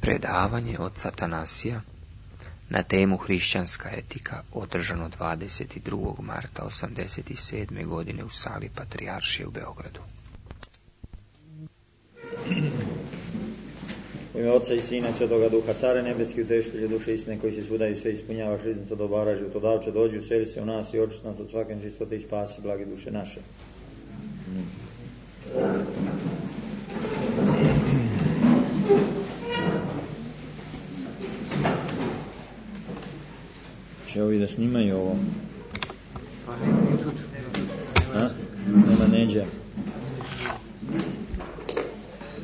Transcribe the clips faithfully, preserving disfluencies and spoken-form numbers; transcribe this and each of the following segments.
predavanje oca Atanasija na temu hrišćanska etika, održano dvadeset drugog marta osamdeset sedme. godine u sali Patrijaršije u Beogradu. U ime Otca i Sina i Svetoga Duha, Care nebeski, utešitelju duše istine, koji se svuda i sve ispunjavaš, riznica dobara, životodavče, dođi, useli se u nas i očisti nas od svake nečistote i spasi blage duše naše. Će ovi da snimaju ovo? A? Nema neđe.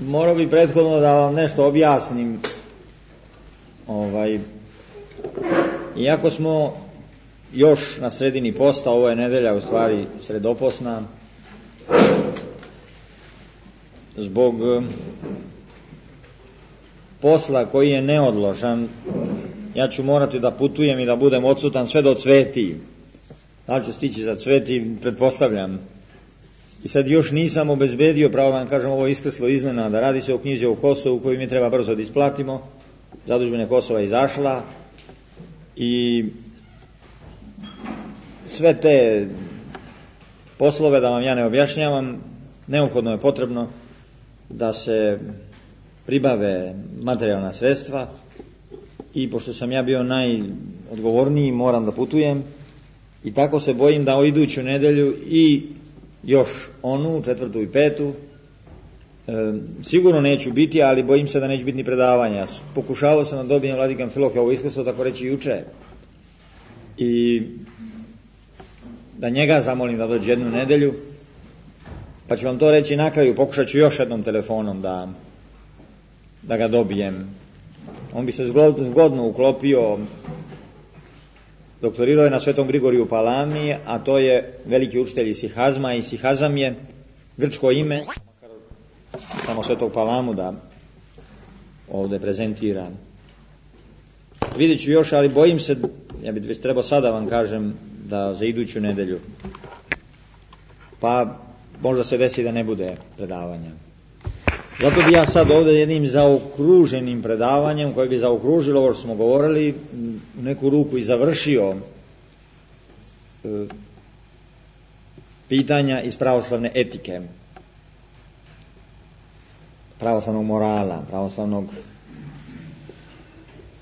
Morao bi prethodno da vam nešto objasnim. Ovaj, iako smo još na sredini posta, ovo je nedelja u stvari sredoposna, zbog posla koji je neodložan, ja ću morati da putujem i da budem odsutan sve do Cveti. Da li ću stići za Cveti, pretpostavljam. I sad još nisam obezbedio, pravo vam kažem, ovo iskrslo iznenada. Radi se o knjizi o Kosovu koju mi treba brzo da isplatimo. Zadužbina Kosova je izašla i sve te poslove, da vam ja ne objašnjavam, neophodno je potrebno da se pribave materijalna sredstva i pošto sam ja bio najodgovorniji, moram da putujem i tako se bojim da o iduću nedelju i još onu, četvrtu i petu, e, sigurno neću biti, ali bojim se da neće biti ni predavanja. Pokušavao sam da dobijem Vladika Amfilohija ovo iskrslo, tako reći juče, i da njega zamolim da dođe jednu nedelju, pa ću vam to reći na kraju. Pokušat ću još jednom telefonom da, da ga dobijem. On bi se zgodno uklopio. Doktorirao je na Svetom Grigoriju u Palami, a to je veliki učitelj isihazma, i isihazam je grčko ime, samo Svetog Palamu da ovdje prezentiram. Vidjet ću još, ali bojim se, ja bih već trebao sada vam kažem, da za iduću nedelju, pa možda se desi da ne bude predavanja. Zato bi ja sad ovdje jednim zaokruženim predavanjem, koje bi zaokružilo ovo što smo govorili, u neku ruku i završio e, pitanja iz pravoslavne etike, pravoslavnog morala, pravoslavnog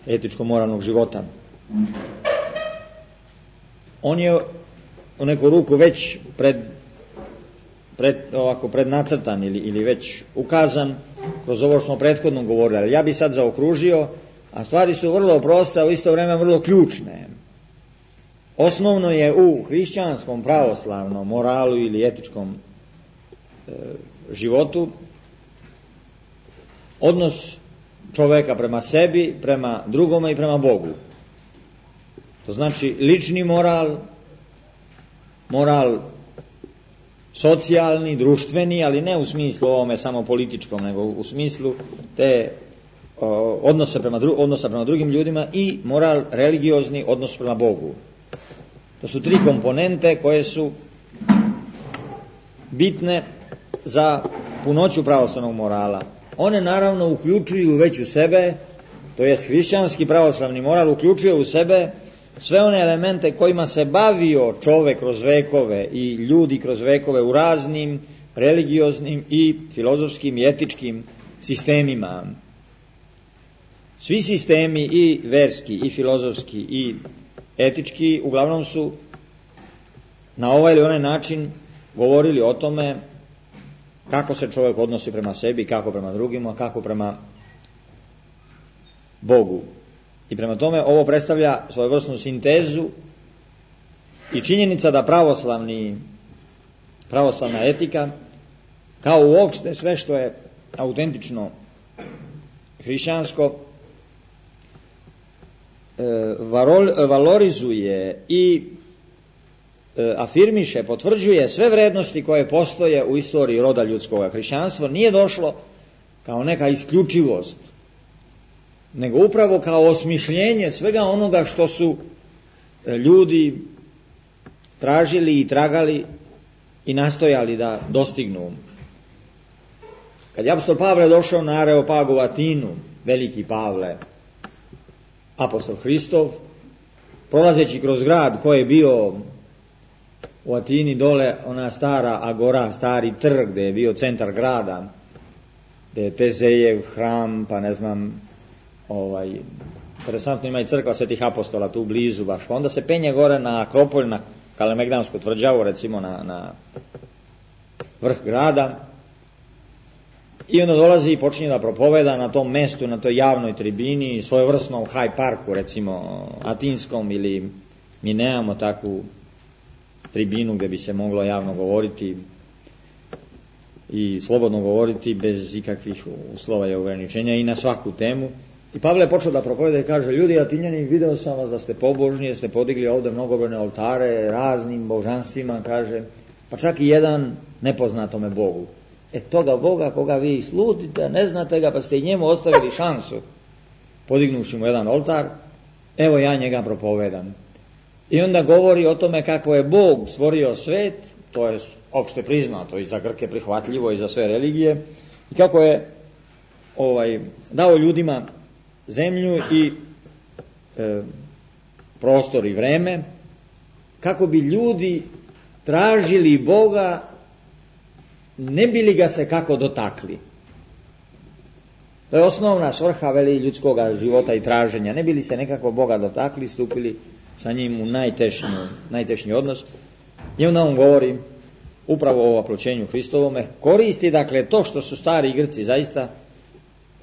etičko-moralnog života. On je u neku ruku već pred Pred, ovako prednacrtan ili, ili već ukazan kroz ovo što smo prethodno govorili, ali ja bi sad zaokružio, a stvari su vrlo proste, a u isto vrijeme vrlo ključne. Osnovno je u hrišćanskom pravoslavnom moralu ili etičkom e, životu odnos čoveka prema sebi, prema drugome i prema Bogu. To znači lični moral, moral socijalni, društveni, ali ne u smislu ovome samo političkom, nego u smislu te o, odnosa, prema dru, odnosa prema drugim ljudima, i moral religiozni, odnos prema Bogu. To su tri komponente koje su bitne za punoću pravoslavnog morala. One naravno uključuju već u sebe, to jest hrišćanski pravoslavni moral uključuje u sebe sve one elemente kojima se bavio čovek kroz vekove i ljudi kroz vekove u raznim religioznim i filozofskim i etičkim sistemima. Svi sistemi, i verski i filozofski i etički, uglavnom su na ovaj ili onaj način govorili o tome kako se čovjek odnosi prema sebi, kako prema drugima, kako prema Bogu. I prema tome ovo predstavlja svojevrsnu sintezu i činjenica da pravoslavni, pravoslavna etika, kao uopšte sve što je autentično hrišćansko, valorizuje i afirmiše, potvrđuje sve vrednosti koje postoje u istoriji roda ljudskog. Hrišćanstvo nije došlo kao neka isključivost, nego upravo kao osmišljenje svega onoga što su ljudi tražili i tragali i nastojali da dostignu. Kad je apostol Pavle došao na Areopagu u Atinu, veliki Pavle, apostol Hristov, prolazeći kroz grad koji je bio u Atini dole, ona stara agora, stari trg gdje je bio centar grada, gdje je Tezejev hram, pa ne znam, ovaj, interesantno ima i crkva Svetih apostola tu blizu baš, pa onda se penje gore na Akropolj, na Kalemegdansku tvrđavu, recimo na, na vrh grada, i onda dolazi i počinje da propoveda na tom mestu, na toj javnoj tribini, svojevrsnom Hyde Parku, recimo atinskom, ili mi nemamo takvu tribinu gdje bi se moglo javno govoriti i slobodno govoriti bez ikakvih uslova i ograničenja i na svaku temu. I Pavle je počeo da propoveda i kaže: ljudi Atinjani, video sam vas da ste pobožni, ste podigli ovdje mnogobrojne oltare raznim božanstvima, kaže, pa čak i jedan nepoznatome Bogu. E toga Boga koga vi sludite, ne znate ga, pa ste i njemu ostavili šansu, podignuši mu jedan oltar, evo ja njega propovedam. I onda govori o tome kako je Bog stvorio svet, to je opšte priznato i za Grke prihvatljivo i za sve religije, i kako je ovaj, dao ljudima zemlju i e, prostor i vreme, kako bi ljudi tražili Boga, ne bi li ga se kako dotakli. To je osnovna svrha, veli, ljudskog života i traženja. Ne bi li se nekako Boga dotakli, stupili sa njim u najtešnji, najtešnji odnos. I onda on govori upravo o oploćenju Hristovome. Koristi, dakle, to što su stari Grci zaista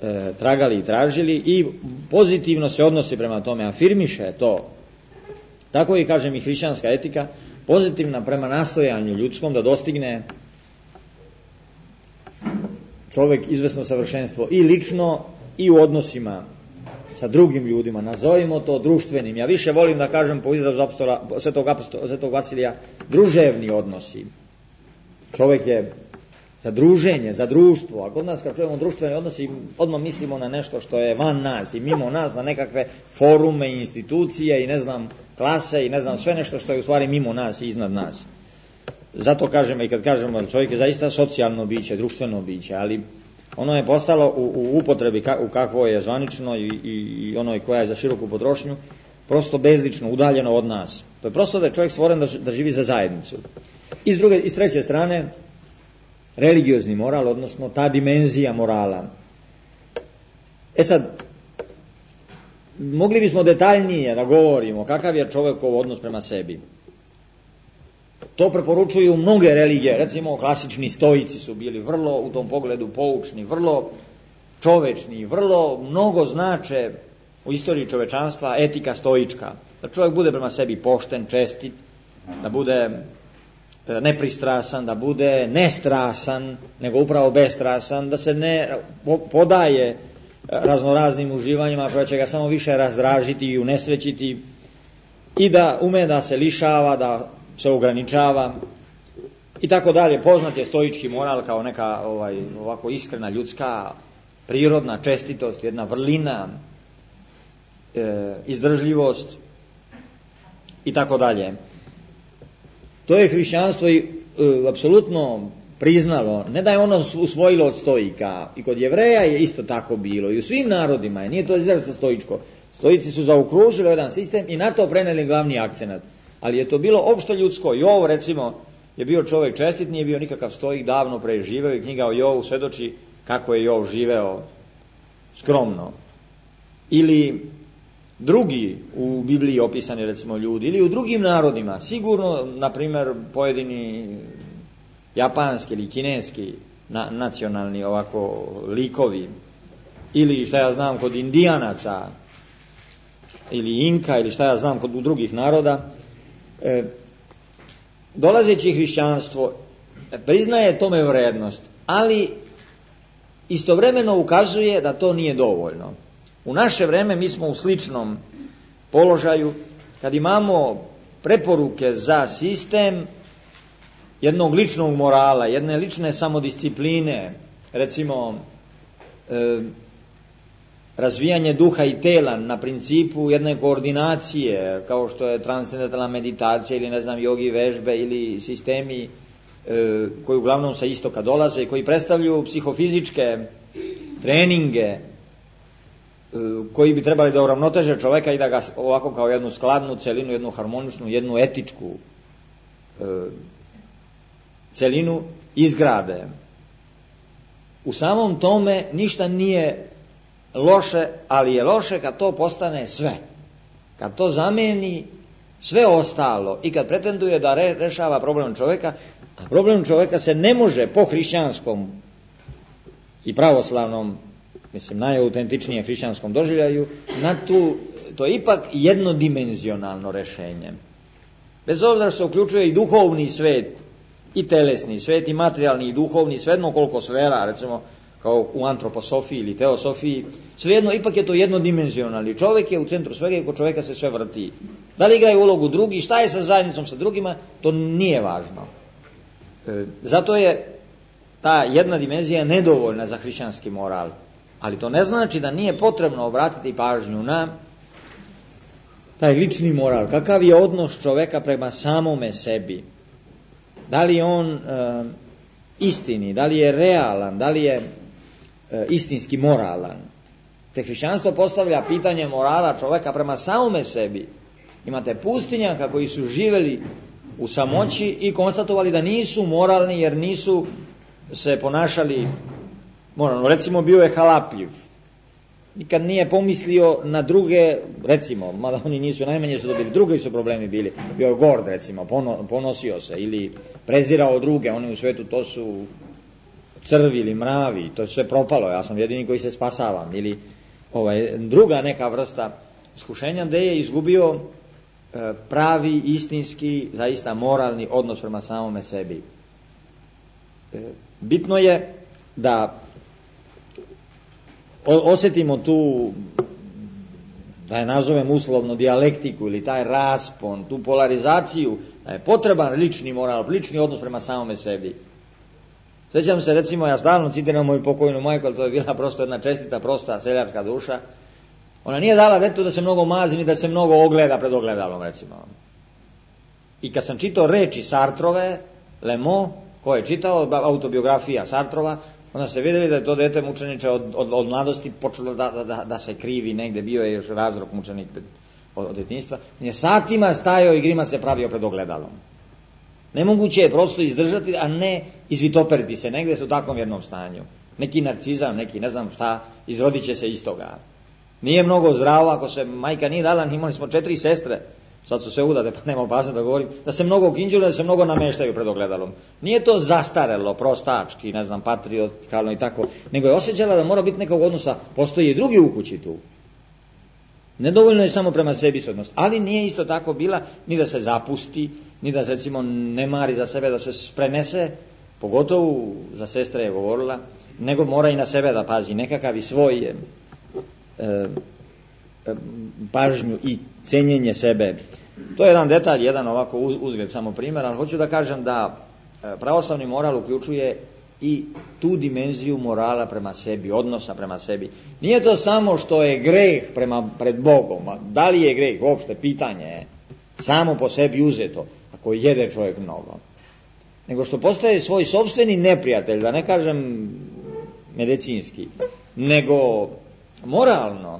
e, tragali i tražili i pozitivno se odnosi prema tome, afirmiše to. Tako i, kažem, i hrišćanska etika, pozitivna prema nastojanju ljudskom da dostigne čovjek izvesno savršenstvo i lično i u odnosima sa drugim ljudima, nazovimo to društvenim. Ja više volim da kažem po izrazu apostola, svetog, apostola, svetog Vasilija, druževni odnosi. Čovjek je za druženje, za društvo, a kod nas kad čujemo društveni odnosi odmah mislimo na nešto što je van nas i mimo nas, na nekakve forume i institucije i ne znam klase i ne znam sve nešto što je u stvari mimo nas i iznad nas. Zato kažemo i kad kažemo da čovjek je zaista socijalno biće, društveno biće, ali ono je postalo u, u upotrebi ka, u kakvo je zvanično i, i, i onoj koja je za široku potrošnju prosto bezlično, udaljeno od nas. To je prosto da je čovjek stvoren da, da živi za zajednicu. I s druge, i s treće strane, religiozni moral, odnosno ta dimenzija morala. E sad, mogli bismo detaljnije da govorimo kakav je čovjekov odnos prema sebi. To preporučuju mnoge religije, recimo klasični stoici su bili vrlo u tom pogledu poučni, vrlo čovečni, vrlo mnogo znače u istoriji čovečanstva etika stoička. Da čovjek bude prema sebi pošten, čestit, da bude nepristrasan, da bude nestrasan, nego upravo bestrasan, da se ne podaje raznoraznim uživanjima koja će ga samo više razdražiti i unesrećiti i da ume da se lišava, da se ograničava i tako dalje. Poznat je stoički moral kao neka ovaj, ovako iskrena ljudska prirodna čestitost, jedna vrlina, e, izdržljivost i tako dalje. To je hrišćanstvo i e, apsolutno priznalo, ne da je ono usvojilo od stoika, i kod Jevreja je isto tako bilo i u svim narodima je, nije to izrazito stoičko. Stoici su zaokružili jedan sistem i na to preneli glavni akcenat. Ali je to bilo opšte ljudsko. Jov, recimo, je bio čovjek čestit, nije bio nikakav stoik, davno preživeo i knjiga o Jovu svedoči kako je Jov živeo skromno. Ili drugi u Bibliji opisani, recimo, ljudi, ili u drugim narodima, sigurno, na primjer, pojedini japanski ili kineski na, nacionalni ovako likovi, ili šta ja znam kod Indijanaca, ili Inka, ili šta ja znam kod drugih naroda, E, dolazeći hrišćanstvo priznaje tome vrednost, ali istovremeno ukazuje da to nije dovoljno. U naše vreme mi smo u sličnom položaju kad imamo preporuke za sistem jednog ličnog morala, jedne lične samodiscipline, recimo e, razvijanje duha i tela na principu jedne koordinacije, kao što je transcendentalna meditacija ili ne znam jogi vežbe ili sistemi e, koji uglavnom sa istoka dolaze i koji predstavljaju psihofizičke treninge koji bi trebali da uravnoteže čoveka i da ga ovako kao jednu skladnu celinu, jednu harmoničnu, jednu etičku e, celinu izgrade. U samom tome ništa nije loše, ali je loše kad to postane sve. Kad to zameni sve ostalo i kad pretenduje da re, rešava problem čoveka, a problem čoveka se ne može po hrišćanskom i pravoslavnom, mislim najautentičnije hrišćanskom doživljaju, na tu, to je ipak jednodimenzionalno rešenje. Bez obzira što se uključuje i duhovni svet, i telesni svet, i materijalni, i duhovni, svejedno koliko sfera, recimo kao u antroposofiji ili teosofiji, svejedno ipak je to jednodimenzionalni. Čovjek je u centru svega i kod čovjeka se sve vrti. Da li igraju ulogu drugi, šta je sa zajednicom sa drugima, to nije važno. E, zato je ta jedna dimenzija nedovoljna za hrišćanski moral. Ali to ne znači da nije potrebno obratiti pažnju na taj lični moral. Kakav je odnos čoveka prema samome sebi? Da li je on e, istini, da li je realan, da li je e, istinski moralan? Te hrišćanstvo postavlja pitanje morala čoveka prema samome sebi. Imate pustinjaka koji su živjeli u samoći i konstatovali da nisu moralni jer nisu se ponašali moralno. Recimo bio je halapljiv. Nikad nije pomislio na druge, recimo, mada oni nisu najmanje su dobili, drugi su problemi bili. Bio je gord, recimo, pono, ponosio se ili prezirao druge, oni u svetu to su crvi ili mravi, to je sve propalo, ja sam jedini koji se spasavam. Ili ovaj, druga neka vrsta iskušenja gde je izgubio e, pravi, istinski, zaista moralni odnos prema samome sebi. E, bitno je da osjetimo tu, da je nazovem uslovno dijalektiku ili taj raspon, tu polarizaciju, da je potreban lični moral, lični odnos prema samome sebi. Sjećam se, recimo, ja stalno citiram moju pokojnu majku, ali to je bila prosto jedna čestita, prosta seljačka duša. Ona nije dala detetu da se mnogo mazi ni da se mnogo ogleda pred ogledalom, recimo. I kad sam čitao reči Sartrove, Le Mans, ko je čitao, autobiografija Sartrova, onda ste vidjeli da je to dete mučeniče od, od, od mladosti počelo da, da, da se krivi negde, bio je još razrok mučenik od, od djetinjstva. On je satima stajao i grima se pravio pred ogledalom. Nemoguće je prosto izdržati, a ne izvitoperiti se negde se u takvom jednom stanju. Neki narcizam, neki ne znam šta, izrodit će se iz toga. Nije mnogo zdravo ako se majka nije dala, imali smo četiri sestre, sad su sve udate, pa nema opasno da govorim, da se mnogo kinđuju, da se mnogo nameštaju pred ogledalom. Nije to zastarelo, prostački, ne znam, patriotkalno i tako, nego je osjećala da mora biti nekog odnosa, postoji i drugi u kući tu. Nedovoljno je samo prema sebi se odnos, ali nije isto tako bila ni da se zapusti, ni da recimo ne mari za sebe, da se prenese, pogotovo za sestre je govorila, nego mora i na sebe da pazi, nekakav i svoj je, e, pažnju i cenjenje sebe. To je jedan detalj, jedan ovako uzgled, samo primjer, ali hoću da kažem da pravoslavni moral uključuje i tu dimenziju morala prema sebi, odnosa prema sebi. Nije to samo što je greh prema, pred Bogom, da li je greh, uopšte pitanje je, samo po sebi uzeto, ako jede čovjek mnogo, nego što postaje svoj sopstveni neprijatelj, da ne kažem medicinski, nego moralno.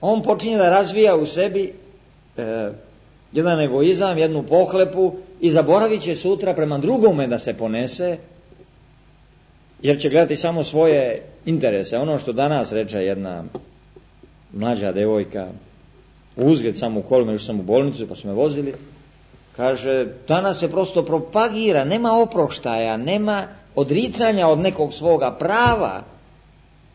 On počinje da razvija u sebi e, jedan egoizam, jednu pohlepu i zaboravit će sutra prema drugome da se ponese, jer će gledati samo svoje interese. Ono što danas reče jedna mlađa devojka, uzgled samo u kolima, još sam u bolnicu pa su me vozili, kaže, danas se prosto propagira, nema oproštaja, nema odricanja od nekog svoga prava,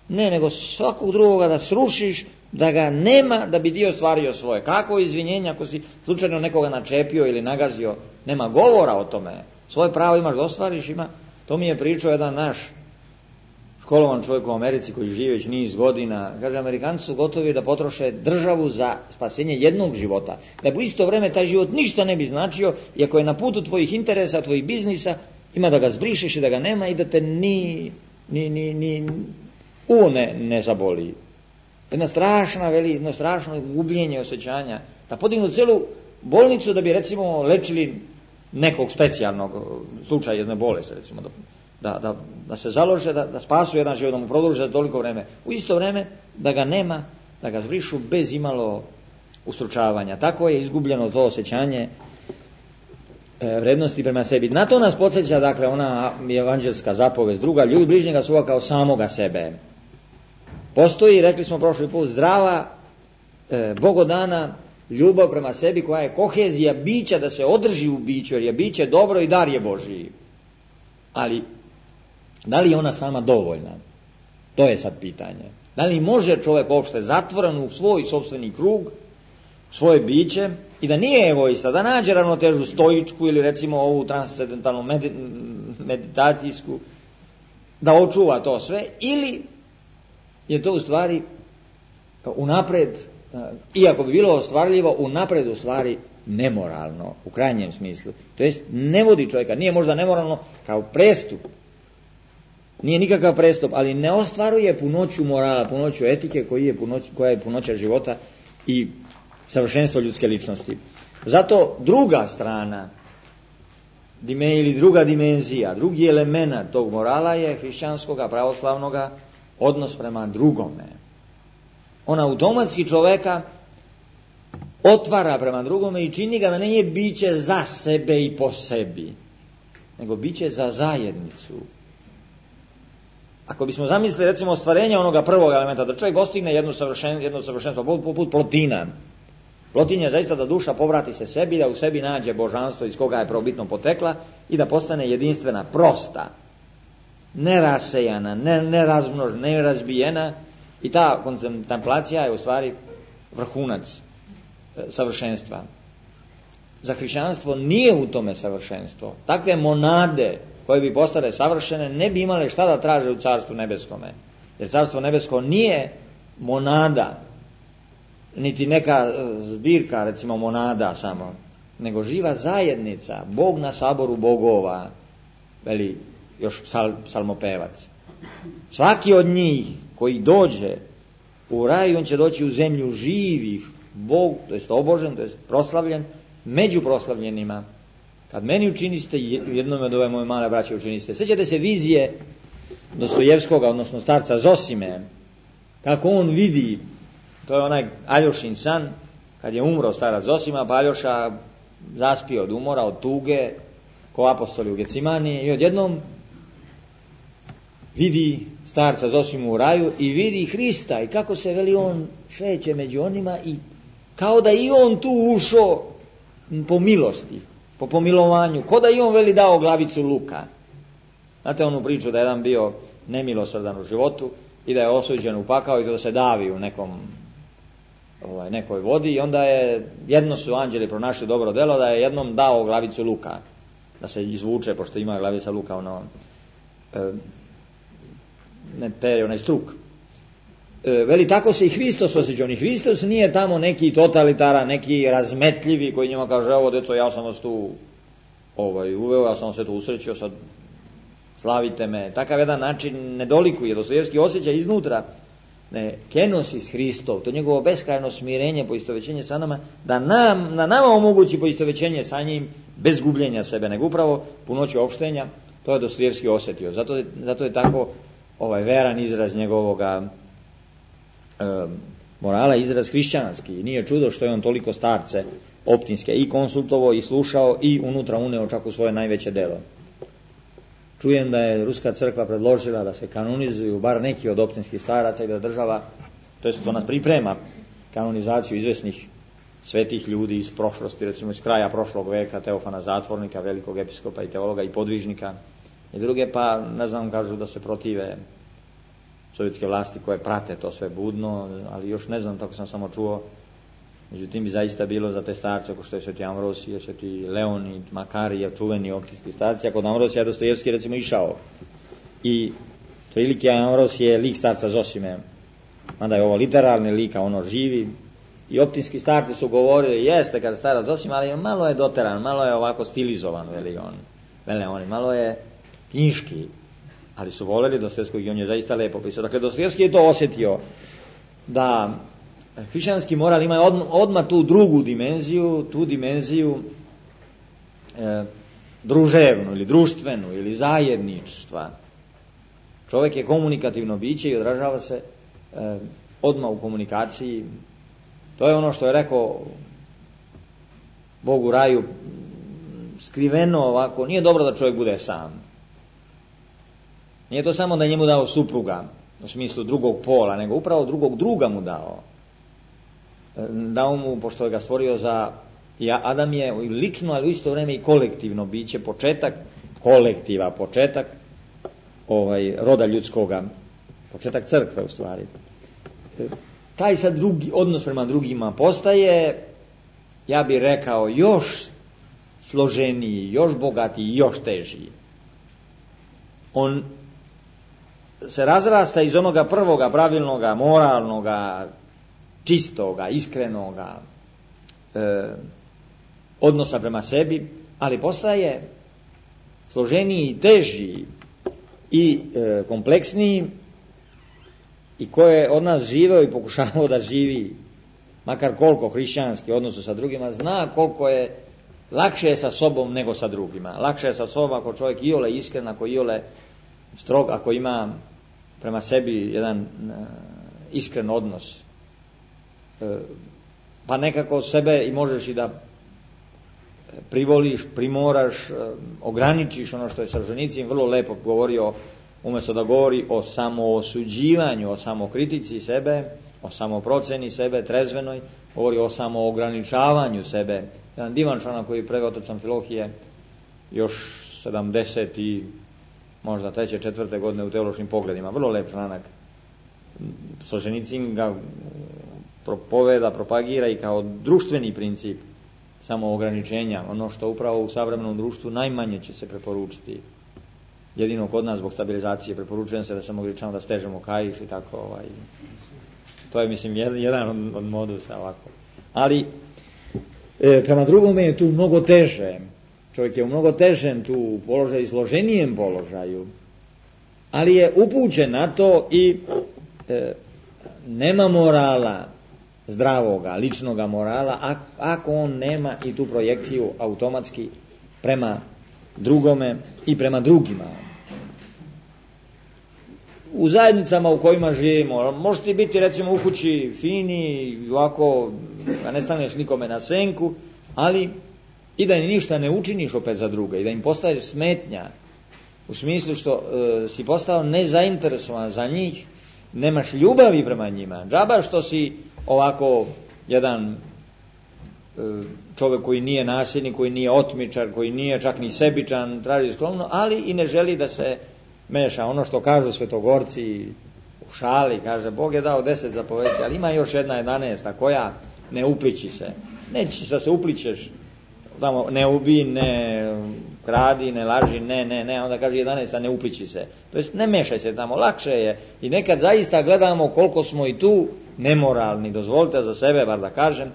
ne, nego svakog drugoga da srušiš, da ga nema da bi dio ostvario svoje. Kako izvinjenje ako si slučajno nekoga načepio ili nagazio, nema govora o tome. Svoje pravo imaš da ostvariš, ima. To mi je pričao jedan naš školovan čovjek u Americi koji živi već niz godina. Kaže, Amerikanci su gotovi da potroše državu za spasenje jednog života. Da u isto vrijeme taj život ništa ne bi značio, i ako je na putu tvojih interesa, tvojih biznisa, ima da ga zbrišeš i da ga nema i da te ni, ni, ni, ni u ne, ne zaboli. Jedna strašna, veli, jedno strašno gubljenje osjećanja. Da podignu celu bolnicu da bi recimo lečili nekog specijalnog slučaja jedne bolesti, recimo, da, da, da se založe, da, da spasu jedan život, da mu produže za toliko vreme. U isto vreme da ga nema da ga zbrišu bez imalo ustručavanja. Tako je izgubljeno to osjećanje e, vrednosti prema sebi. Na to nas podsjeća, dakle, ona evanđelska zapovest druga, ljubi bližnjega svoga kao samoga sebe. Postoji, rekli smo prošli put, zdrava, e, bogodana ljubav prema sebi koja je kohezija bića da se održi u biću, jer je biće dobro i dar je Božiji. Ali, da li je ona sama dovoljna? To je sad pitanje. Da li može čovjek uopšte zatvoren u svoj sopstveni krug, svoje biće, i da nije egoista, da nađe ravnotežu stoičku ili recimo ovu transcendentalnu meditacijsku, da očuva to sve, ili je to u stvari unapred, iako bi bilo ostvarljivo, unapred u stvari nemoralno, u krajnjem smislu. To jest, ne vodi čovjeka, nije možda nemoralno kao prestup, nije nikakav prestup, ali ne ostvaruje punoću morala, punoću etike koji je punoć, koja je punoća života i savršenstvo ljudske ličnosti. Zato druga strana ili druga dimenzija, drugi element tog morala je hrišćanskoga, pravoslavnoga odnos prema drugome. On automatski čoveka otvara prema drugome i čini ga da nije biće za sebe i po sebi, nego biće za zajednicu. Ako bismo zamislili recimo ostvarenje onoga prvog elementa, da čovjek postigne jedno savršenstvo, jedno savršenstvo poput Plotina. Plotin je zaista da duša povrati se sebi, da u sebi nađe božanstvo iz koga je prvobitno potekla i da postane jedinstvena, prosta, nerasejana, ne, nerazmnožena, nerazbijena, i ta kontemplacija je u stvari vrhunac savršenstva. Za hrišćanstvo nije u tome savršenstvo. Takve monade koje bi postale savršene ne bi imale šta da traže u Carstvu nebeskome. Jer Carstvo nebesko nije monada, niti neka zbirka, recimo monada samo, nego živa zajednica, Bog na saboru bogova, veli još psal, psalmopevac. Svaki od njih koji dođe u raj, on će doći u zemlju živih, Bog, to jest obožen, to jest proslavljen, među proslavljenima. Kad meni učiniste, jednom od ove moje male braće učiniste. Sjećate se vizije Dostojevskoga, odnosno starca Zosime, kako on vidi, to je onaj Aljošin san, kad je umro starac Zosima, pa Aljoša zaspio od umora, od tuge, ko apostoli u Gecimani, i odjednom vidi starca Zosimu u raju i vidi Hrista i kako se, veli, on šeće među onima i kao da i on tu ušao po milosti, po pomilovanju, ko da i on, veli, dao glavicu luka. Znate onu priču da je jedan bio nemilosrdan u životu i da je osuđen u pakao i da se davi u nekom ovaj, nekoj vodi, i onda je, jedno su anđeli pronašli dobro delo, da je jednom dao glavicu luka da se izvuče, pošto ima glavica luka ono, e, ne pere, onaj struk. E, veli, tako se i Hristos osjećao. Ni Hristos nije tamo neki totalitaran, neki razmetljivi koji njima kaže, evo deco, ja sam vas tu ovaj, uveo, ja sam vas sve to usrećio, sad slavite me. Takav jedan način ne dolikuje. Dostojevski osjeća iznutra ne, kenosis Hristov, to njegovo beskrajno smirenje, poistovećenje sa nama, da nam, na nama omogući poistovećenje sa njim bez gubljenja sebe, nego upravo punoću opštenja. To je Dostojevski osjetio. Zato je, zato je tako ovaj veran izraz njegovoga e, morala, izraz hrišćanski. I nije čudo što je on toliko starce optinske i konsultovao i slušao i unutra uneo čak u svoje najveće delo. Čujem da je Ruska crkva predložila da se kanonizuju bar neki od optinskih staraca i da država, to jest to nas priprema kanonizaciju izvesnih svetih ljudi iz prošlosti, recimo iz kraja prošlog veka, Teofana Zatvornika, velikog episkopa i teologa i podvižnika i druge, pa ne znam, kažu da se protive sovjetske vlasti koje prate to sve budno, ali još ne znam, tako sam samo čuo. Međutim bi zaista bilo za te starce, ko što je sveti Amvrosije, sveti Leonid, Makarije, čuveni optinski starci. A kod Amvrosija Dostojevski recimo išao. I prilike Amvrosije je lik starca Zosime, mada je ovo literarni lik, a ono živi. I optinski starci su govorili, jeste kad starac Zosima, ali malo je doteran, malo je ovako stilizovan, veli on. Vele oni, malo je knjiški, ali su voljeli Dostojevskog i on je zaista lepo pisao. Dakle, Dostojevski je to osjetio, da hrišćanski moral ima odmah tu drugu dimenziju, tu dimenziju e, druževnu ili društvenu ili zajedništva. Čovjek je komunikativno biće i odražava se e, odmah u komunikaciji. To je ono što je rekao Bog u raju, skriveno ovako, nije dobro da čovjek bude sam. Nije to samo da njemu dao supruga, u smislu drugog pola, nego upravo drugog druga mu dao. Dao mu, pošto je ga stvorio za, ja, Adam je lično, ali u isto vrijeme i kolektivno biće, početak kolektiva, početak ovaj, roda ljudskoga, početak crkve u stvari. Taj sad drugi, odnos prema drugima postaje, ja bih rekao, još složeniji, još bogatiji, još težiji. On se razrasta iz onoga prvoga, pravilnoga, moralnoga, čistoga, iskrenoga e, odnosa prema sebi, ali postaje složeniji i teži i e, kompleksniji, i ko je od nas živeo i pokušavao da živi makar koliko hrišćanski odnosu sa drugima, zna koliko je lakše je sa sobom nego sa drugima. Lakše je sa sobom ako čovjek iole iskren, ako iole strog, ako ima prema sebi jedan uh, iskren odnos. Uh, pa nekako sebe i možeš i da privoliš, primoraš, uh, ograničiš. Ono što je Solženicin vrlo lepo govorio, umjesto da govori o samoosuđivanju, o samokritici sebe, o samoproceni sebe, trezvenoj, govori o samoograničavanju sebe. Jedan divan članak koji je preveo otac Amfilohije još sedamdeset i možda treće, četvrte godine u teološkim pogledima. Vrlo lep članak. Solženicin ga propoveda, propagira i kao društveni princip samoograničenja, ono što upravo u savremenom društvu najmanje će se preporučiti. Jedino kod nas zbog stabilizacije preporučujem se da samo ograničamo, da stežemo kaiš i tako. Ovaj. To je, mislim, jedan od, od modusa ovako. Ali e, prema drugome je tu mnogo teže. Čovjek je u mnogo težem tu položaju, složenijem položaju, ali je upućen na to i e, nema morala zdravoga, ličnoga morala, ako on nema i tu projekciju automatski prema drugome i prema drugima. U zajednicama u kojima živimo, možeš ti biti recimo u kući fini, ovako, a ne staneš nikome na senku, ali i da ništa ne učiniš opet za druge i da im postaješ smetnja, u smislu što e, si postao nezainteresovan za njih, nemaš ljubavi prema njima. Džaba što si ovako jedan e, čovjek koji nije nasilnik, koji nije otmičar, koji nije čak ni sebičan, traži sklonno, ali i ne želi da se meša. Ono što kažu svetogorci u šali, kaže, Bog je dao deset zapovesti, ali ima još jedna jedanaesta koja ne upliči se. Neće da se upličeš, tamo, ne ubi, ne kradi, ne laži, ne, ne, ne, onda kaže jedanaesta ne upliči se. To jest ne mešaj se tamo, lakše je. I nekad zaista gledamo koliko smo i tu nemoralni, dozvolite za sebe, bar da kažem,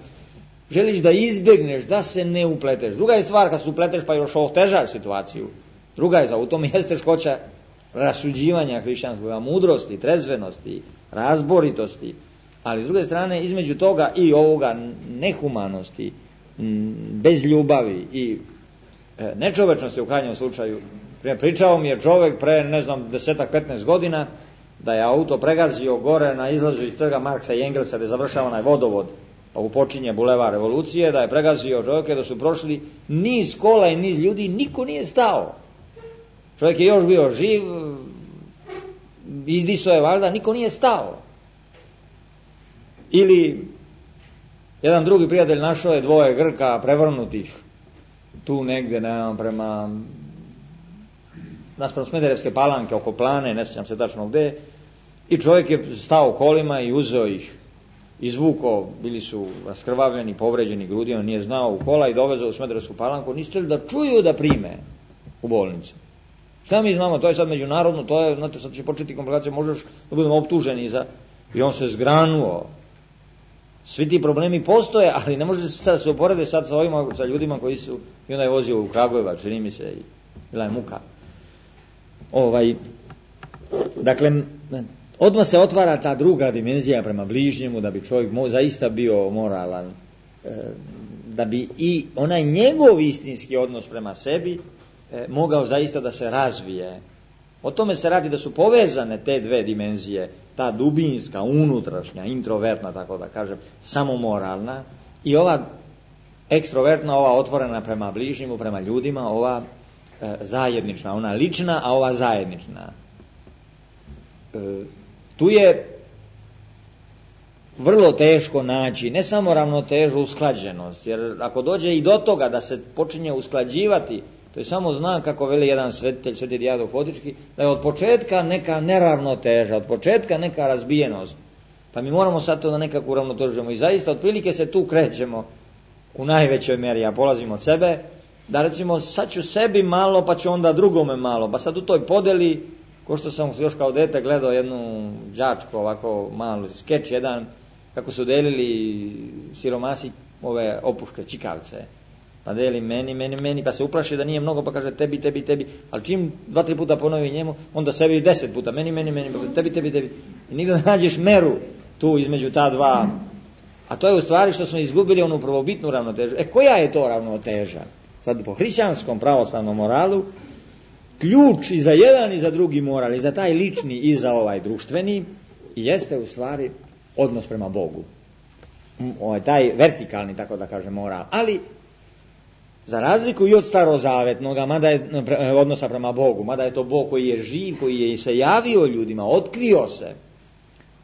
želiš da izbjegneš, da se ne upleteš. Druga je stvar kad se upleteš pa još otežaš situaciju. Druga je za u tom jeste teškoća rasuđivanja hrišćanskog, mudrosti, trezvenosti, razboritosti, ali s druge strane između toga i ovoga nehumanosti, bez ljubavi i nečovečnosti u krajnjem slučaju. Pričao mi je čovjek pre, ne znam, desetak, petnaest godina da je auto pregazio gore na izlazu iz trga Marksa i Engelsa gdje završava onaj vodovod, pa upočinje Bulevar Revolucije, da je pregazio čovjeke, da su prošli niz kola i niz ljudi, niko nije stao. Čovjek je još bio živ, izdisao je valjda, niko nije stao. Ili jedan drugi prijatelj našao je dvoje Grka prevrnutih tu negdje, ne znam, prema naspram Smederevske Palanke, oko Plane, ne sjećam se tačno gdje, i čovjek je stao kolima i uzeo ih, izvuko, bili su raskrvavljeni, povređeni grudi, on nije znao u kola i dovezao u Smederevsku Palanku, nisu da čuju da prime u bolnicu. Šta mi znamo, to je sad međunarodno, to je, znate, sad će početi komplikacije, možeš da budemo optuženi za... I on se zgranuo. Svi ti problemi postoje, ali ne može se sad se uporede sad sa ovima, sa ljudima koji su, i onda je vozio u Kragujevac, čini mi se, i bila je muka. Ovaj, dakle, odmah se otvara ta druga dimenzija prema bližnjemu, da bi čovjek mo, zaista bio moralan, da bi i onaj njegov istinski odnos prema sebi E, mogao zaista da se razvije. O tome se radi, da su povezane te dve dimenzije, ta dubinska, unutrašnja, introvertna, tako da kažem, samomoralna, i ova ekstrovertna, ova otvorena prema bližnjemu, prema ljudima, ova e, zajednična, ona lična, a ova zajednična. E, tu je vrlo teško naći ne samo ravnotežu, usklađenost, jer ako dođe i do toga da se počinje usklađivati, to je samo znak, kako veli jedan svetitelj, sveti Dijadok Fotički, da je od početka neka neravnoteža, od početka neka razbijenost. Pa mi moramo sad to da nekako uravnotežimo i zaista otprilike se tu krećemo u najvećoj meri. Ja polazim od sebe, da recimo sad ću sebi malo, pa ću onda drugome malo, pa sad u toj podeli, ko što sam još kao dete gledao jednu đačku, ovako malo skeč jedan, kako su delili siromasi ove opuške, čikavce. Pa deli meni, meni, meni, pa se uplaši da nije mnogo, pa kaže tebi, tebi, tebi. Ali čim dva, tri puta ponovi njemu, onda sebi deset puta, meni, meni, meni, tebi, tebi, tebi. I nigde ne nađeš meru tu između ta dva. A to je u stvari što smo izgubili onu prvobitnu ravnotežu. E, koja je to ravnoteža? Sad po hrišćanskom pravoslavnom moralu, ključ i za jedan i za drugi moral, i za taj lični i za ovaj društveni, jeste u stvari odnos prema Bogu. Ovaj, taj vertikalni, tako da kaže, moral. Ali za razliku i od starozavetnoga, mada je odnosa prema Bogu, mada je to Bog koji je živ, koji je se javio ljudima, otkrio se,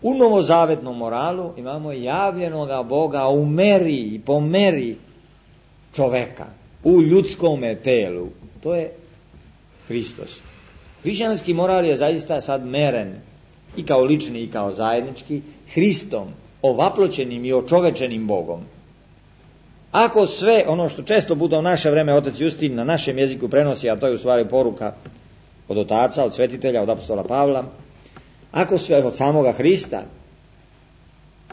u novozavetnom moralu imamo javljenoga Boga u meri i po meri čoveka, u ljudskome telu. To je Hristos. Hrišćanski moral je zaista sad meren i kao lični i kao zajednički Hristom, ovaploćenim i očovečenim Bogom. Ako sve ono što često puta u naše vreme otac Justin na našem jeziku prenosi, a to je u stvari poruka od otaca, od svetitelja, od apostola Pavla, ako sve od samoga Hrista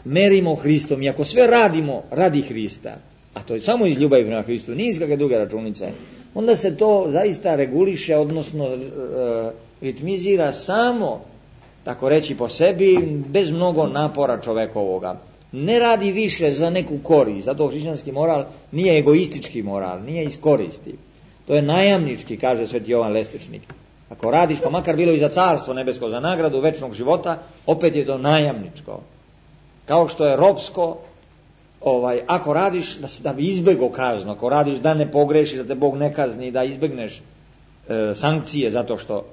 merimo Hristom i ako sve radimo radi Hrista, a to je samo iz ljubavi prema Hristu, nije iz kakve druge računice, onda se to zaista reguliše, odnosno e, ritmizira samo, tako reći po sebi, bez mnogo napora čovekovoga. Ne radi više za neku korist, zato hrišćanski moral nije egoistički moral, nije iz koristi. To je najamnički, kaže sveti Jovan Lestičnik. Ako radiš, pa makar bilo i za carstvo nebesko, za nagradu večnog života, opet je to najamničko. Kao što je ropsko, ovaj, ako radiš da, da bi izbjegao kaznu, ako radiš da ne pogrešiš, da te Bog ne kazni, da izbjegneš e, sankcije zato što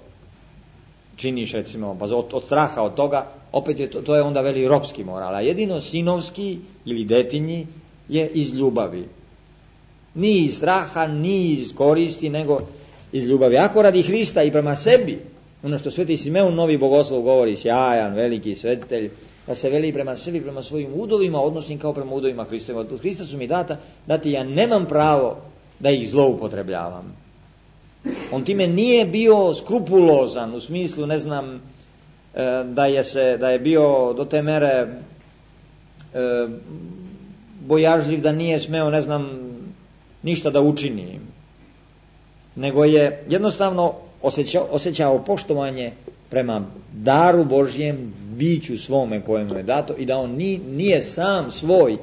činiš, recimo, pa od, od straha od toga, opet je to, to je onda veli ropski moral. A jedino sinovski ili detinji je iz ljubavi. Ni iz straha, ni iz koristi, nego iz ljubavi. Ako radi Hrista i prema sebi, ono što sveti Simeon Novi Bogoslov govori, sjajan, veliki svetitelj, da se veli prema sebi, prema svojim udovima, odnosnim kao prema udovima Hristovima. Od Hrista su mi data, dati ja nemam pravo da ih zloupotrebljavam. On time nije bio skrupulozan, u smislu, ne znam, da je, se, da je bio do te mere bojažljiv, da nije smeo, ne znam, ništa da učini. Nego je jednostavno osjećao, osjećao poštovanje prema daru Božjem, biću svome kojemu je dato, i da on ni, nije sam svoj,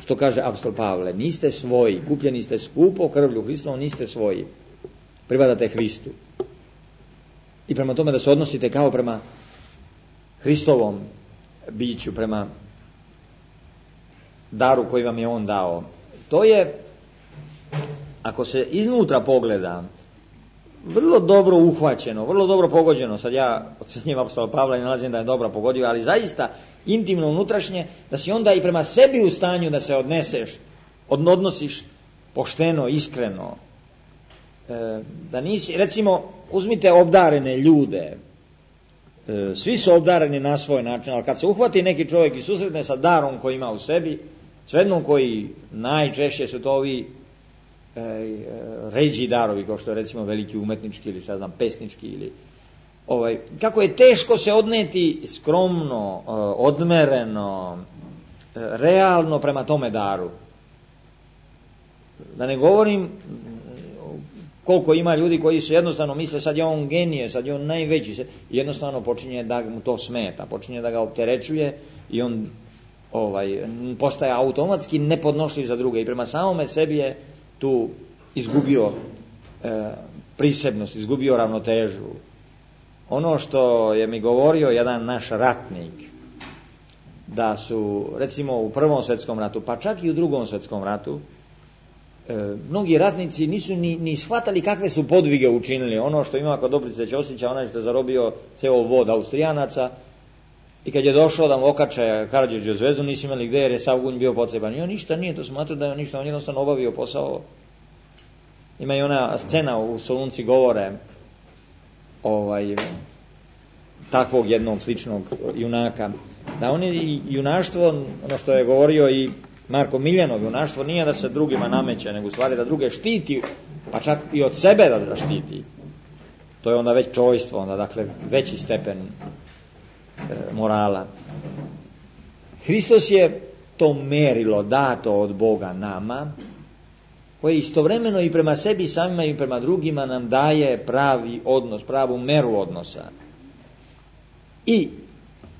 što kaže apostol Pavle, niste svoji, kupljeni ste skupo krvlju Hristovom, niste svoji, pripadate Hristu. I prema tome da se odnosite kao prema Hristovom biću, prema daru koji vam je on dao. To je, ako se iznutra pogleda, vrlo dobro uhvaćeno, vrlo dobro pogođeno. Sad ja ocenjujem apostola Pavla i nalazim da je dobro pogodio, ali zaista intimno unutrašnje, da si onda i prema sebi u stanju da se odneseš, odnosiš pošteno, iskreno. E, da nisi, recimo, uzmite obdarene ljude, e, svi su obdareni na svoj način, ali kad se uhvati neki čovjek i susretne sa darom koji ima u sebi, svejedno koji najčešće su to ovi E, ređi darovi, kao što je recimo veliki umetnički ili šta znam pesnički ili ovaj, kako je teško se odneti skromno, odmereno, realno prema tome daru. Da ne govorim koliko ima ljudi koji se jednostavno misle sad je on genije, sad je on najveći, se jednostavno počinje da mu to smeta, počinje da ga opterećuje i on ovaj, postaje automatski nepodnošljiv za druge i prema samome sebi je tu izgubio e, prisebnost, izgubio ravnotežu. Ono što je mi govorio jedan naš ratnik, da su, recimo, u Prvom svjetskom ratu, pa čak i u Drugom svjetskom ratu, e, mnogi ratnici nisu ni, ni shvatali kakve su podvige učinili. Ono što ima kod Dobrice Ćosića, onaj što je zarobio ceo vod Austrijanaca, i kad je došao da mu okače Karađorđevu zvezdu, nisu imali gdje jer je sav gunj bio poceban. I on ništa nije to smatrao da je ništa, on jednostavno obavio posao. Ima i ona scena u Solunci govore ovaj, takvog jednog sličnog junaka. Da on je junaštvo, ono što je govorio i Marko Miljanov, junaštvo nije da se drugima nameće, nego u stvari da druge štiti, pa čak i od sebe da, da štiti. To je onda već čojstvo, onda dakle veći stepen e, morala. Hristos je to merilo dato od Boga nama, koje istovremeno i prema sebi samima i prema drugima nam daje pravi odnos, pravu meru odnosa. I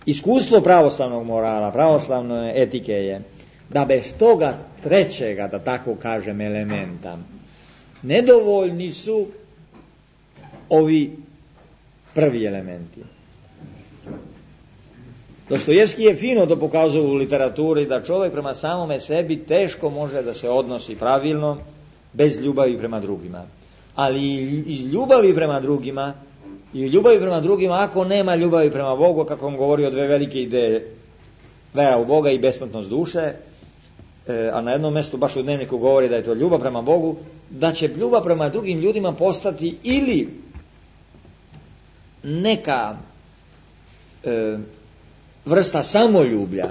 iskustvo pravoslavnog morala, pravoslavne etike je da bez toga trećega, da tako kažem, elementa, nedovoljni su ovi prvi elementi. Dostojevski je fino to pokazao u literaturi, da čovjek prema samome sebi teško može da se odnosi pravilno bez ljubavi prema drugima. Ali iz ljubavi prema drugima i ljubavi prema drugima, ako nema ljubavi prema Bogu, kako vam govori o dve velike ideje, vera u Boga i besmrtnost duše, e, a na jednom mjestu baš u dnevniku govori da je to ljubav prema Bogu, da će ljubav prema drugim ljudima postati ili neka e, vrsta samoljublja,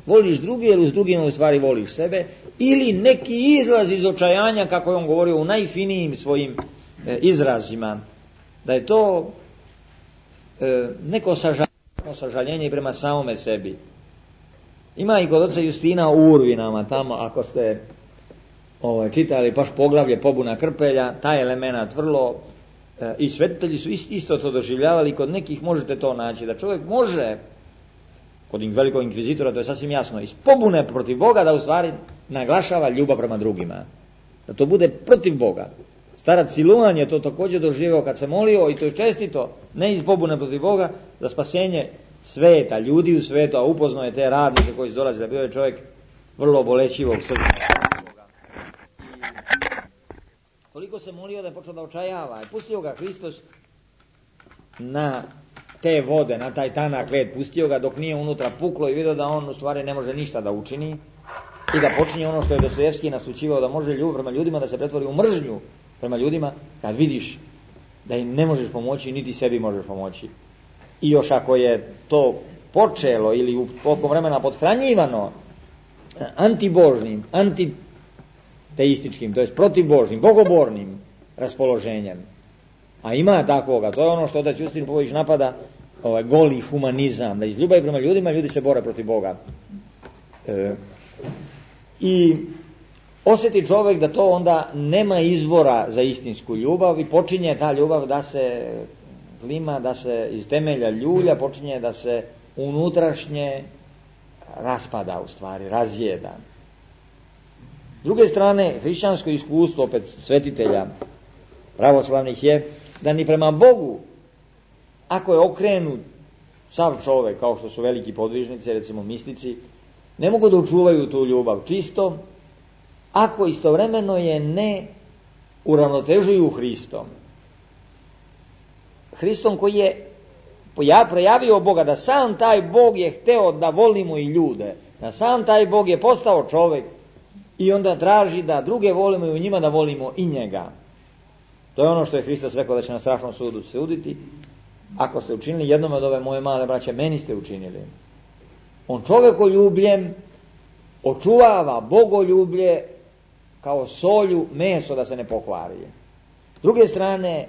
voliš druge jer s drugima u stvari voliš sebe, ili neki izlaz iz očajanja, kako je on govorio u najfinijim svojim e, izrazima, da je to e, neko sažaljenje, sažaljenje prema samome sebi. Ima i kod oca Justina u Urvinama, tamo ako ste ovaj, čitali baš poglavlje Pobuna Krpelja, taj element vrlo e, i svetitelji su ist, isto to doživljavali, kod nekih možete to naći, da čovjek može, kod velikog inkvizitora to je sasvim jasno, iz pobune protiv Boga da u stvari naglašava ljubav prema drugima, da to bude protiv Boga. Starac Siluan je to također doživio kad se molio, i to je čestito, ne iz pobune protiv Boga, za spasenje sveta, ljudi u svetu, a upoznao je te radnike koji su dolazili, bio je čovjek vrlo bolećivog srca. Koliko se molio da je počeo da očajava, i pustio ga Hristos na te vode, na taj tanak led, pustio ga dok nije unutra puklo i vidio da on u stvari ne može ništa da učini i da počinje ono što je Dostojevski naslučivao, da može ljubav prema ljudima da se pretvori u mržnju prema ljudima, kad vidiš da im ne možeš pomoći, niti sebi možeš pomoći. I još ako je to počelo ili u tokom vremena podhranjivano antibožnim, antiteističkim, to jest protivbožnim, bogobornim raspoloženjem, a ima takvoga, to je ono što otac Justin Popović napada, ovaj goli humanizam, da iz ljubavi prema ljudima ljudi se bore protiv Boga. E, I osjeti čovjek da to onda nema izvora za istinsku ljubav i počinje ta ljubav da se zlima, da se iz temelja ljulja, počinje da se unutrašnje raspada, u stvari, razjeda. S druge strane, hrišćansko iskustvo, opet svetitelja pravoslavnih, je da ni prema Bogu, ako je okrenut sav čovjek, kao što su veliki podvižnici, recimo mistici, ne mogu da učuvaju tu ljubav čisto, ako istovremeno je ne uravnotežuju Hristom. Hristom koji je projavio Boga, da sam taj Bog je hteo da volimo i ljude, da sam taj Bog je postao čovjek i onda traži da druge volimo i u njima da volimo i njega. To je ono što je Hristos rekao da će na strašnom sudu suditi. Ako ste učinili jednom od ove moje male braće, meni ste učinili. On čovjekoljubljem očuvava bogoljublje kao solju meso da se ne pokvari. S druge strane,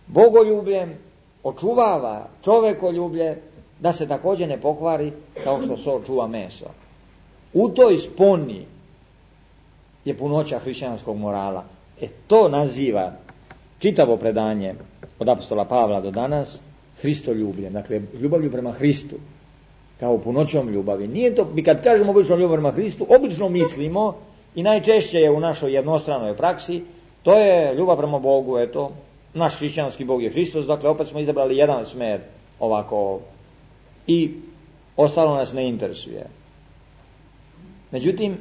bogoljubljem očuvava čovjekoljublje da se također ne pokvari kao što sol čuva meso. U toj sponi je punoća hrišćanskog morala. E to naziva čitavo predanje od apostola Pavla do danas Hristoljubljem, dakle ljubavlju prema Hristu, kao punoćom ljubavi. Nije to, mi kad kažemo obično ljubav prema Hristu, obično mislimo, i najčešće je u našoj jednostranoj praksi, to je ljubav prema Bogu, eto, naš hrišćanski Bog je Hristos, dakle opet smo izabrali jedan smer ovako. I ostalo nas ne interesuje. Međutim,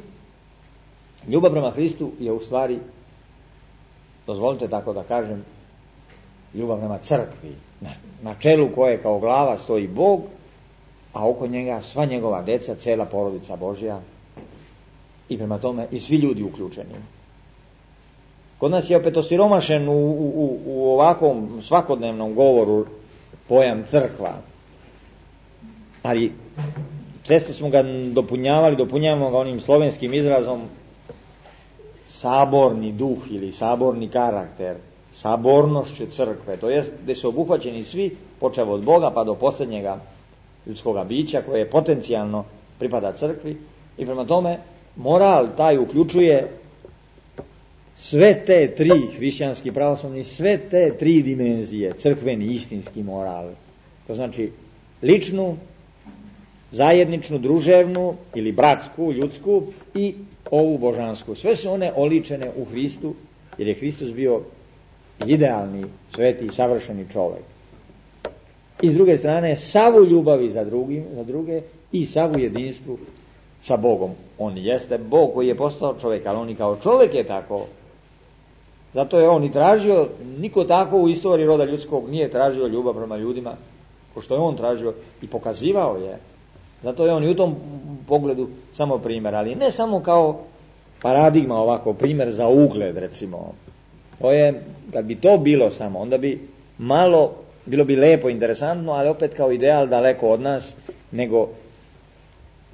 ljubav prema Hristu je u stvari, dozvolite tako da kažem, ljubav prema crkvi, na, na čelu koje kao glava stoji Bog, a oko njega sva njegova deca, cela porodica Božja, i prema tome i svi ljudi uključeni. Kod nas je opet osiromašen u, u, u ovakvom svakodnevnom govoru pojam crkva, ali često smo ga dopunjavali, dopunjavamo ga onim slovenskim izrazom saborni duh ili saborni karakter, sabornošću crkve, to jest gdje su obuhvaćeni svi, počev od Boga pa do posljednjega ljudskoga bića koje potencijalno pripada crkvi, i prema tome moral taj uključuje sve te tri, hrišćanski, pravoslavni, sve te tri dimenzije, crkveni, istinski moral. To znači ličnu, zajedničnu, druževnu ili bratsku, ljudsku i ovu božansku. Sve su one oličene u Hristu, jer je Hristos bio idealni, sveti i savršeni čovjek. I s druge strane, savu ljubavi za, drugim, za druge i savu jedinstvu sa Bogom. On jeste Bog koji je postao čovjek, ali on i kao čovjek je tako. Zato je on i tražio, niko tako u istoriji roda ljudskog nije tražio ljubav prema ljudima, ko što je on tražio i pokazivao je. Zato je on i u tom pogledu samo primjer, ali ne samo kao paradigma ovako, primjer za ugled recimo. To je, kad bi to bilo samo, onda bi malo, bilo bi lepo, interesantno, ali opet kao ideal daleko od nas, nego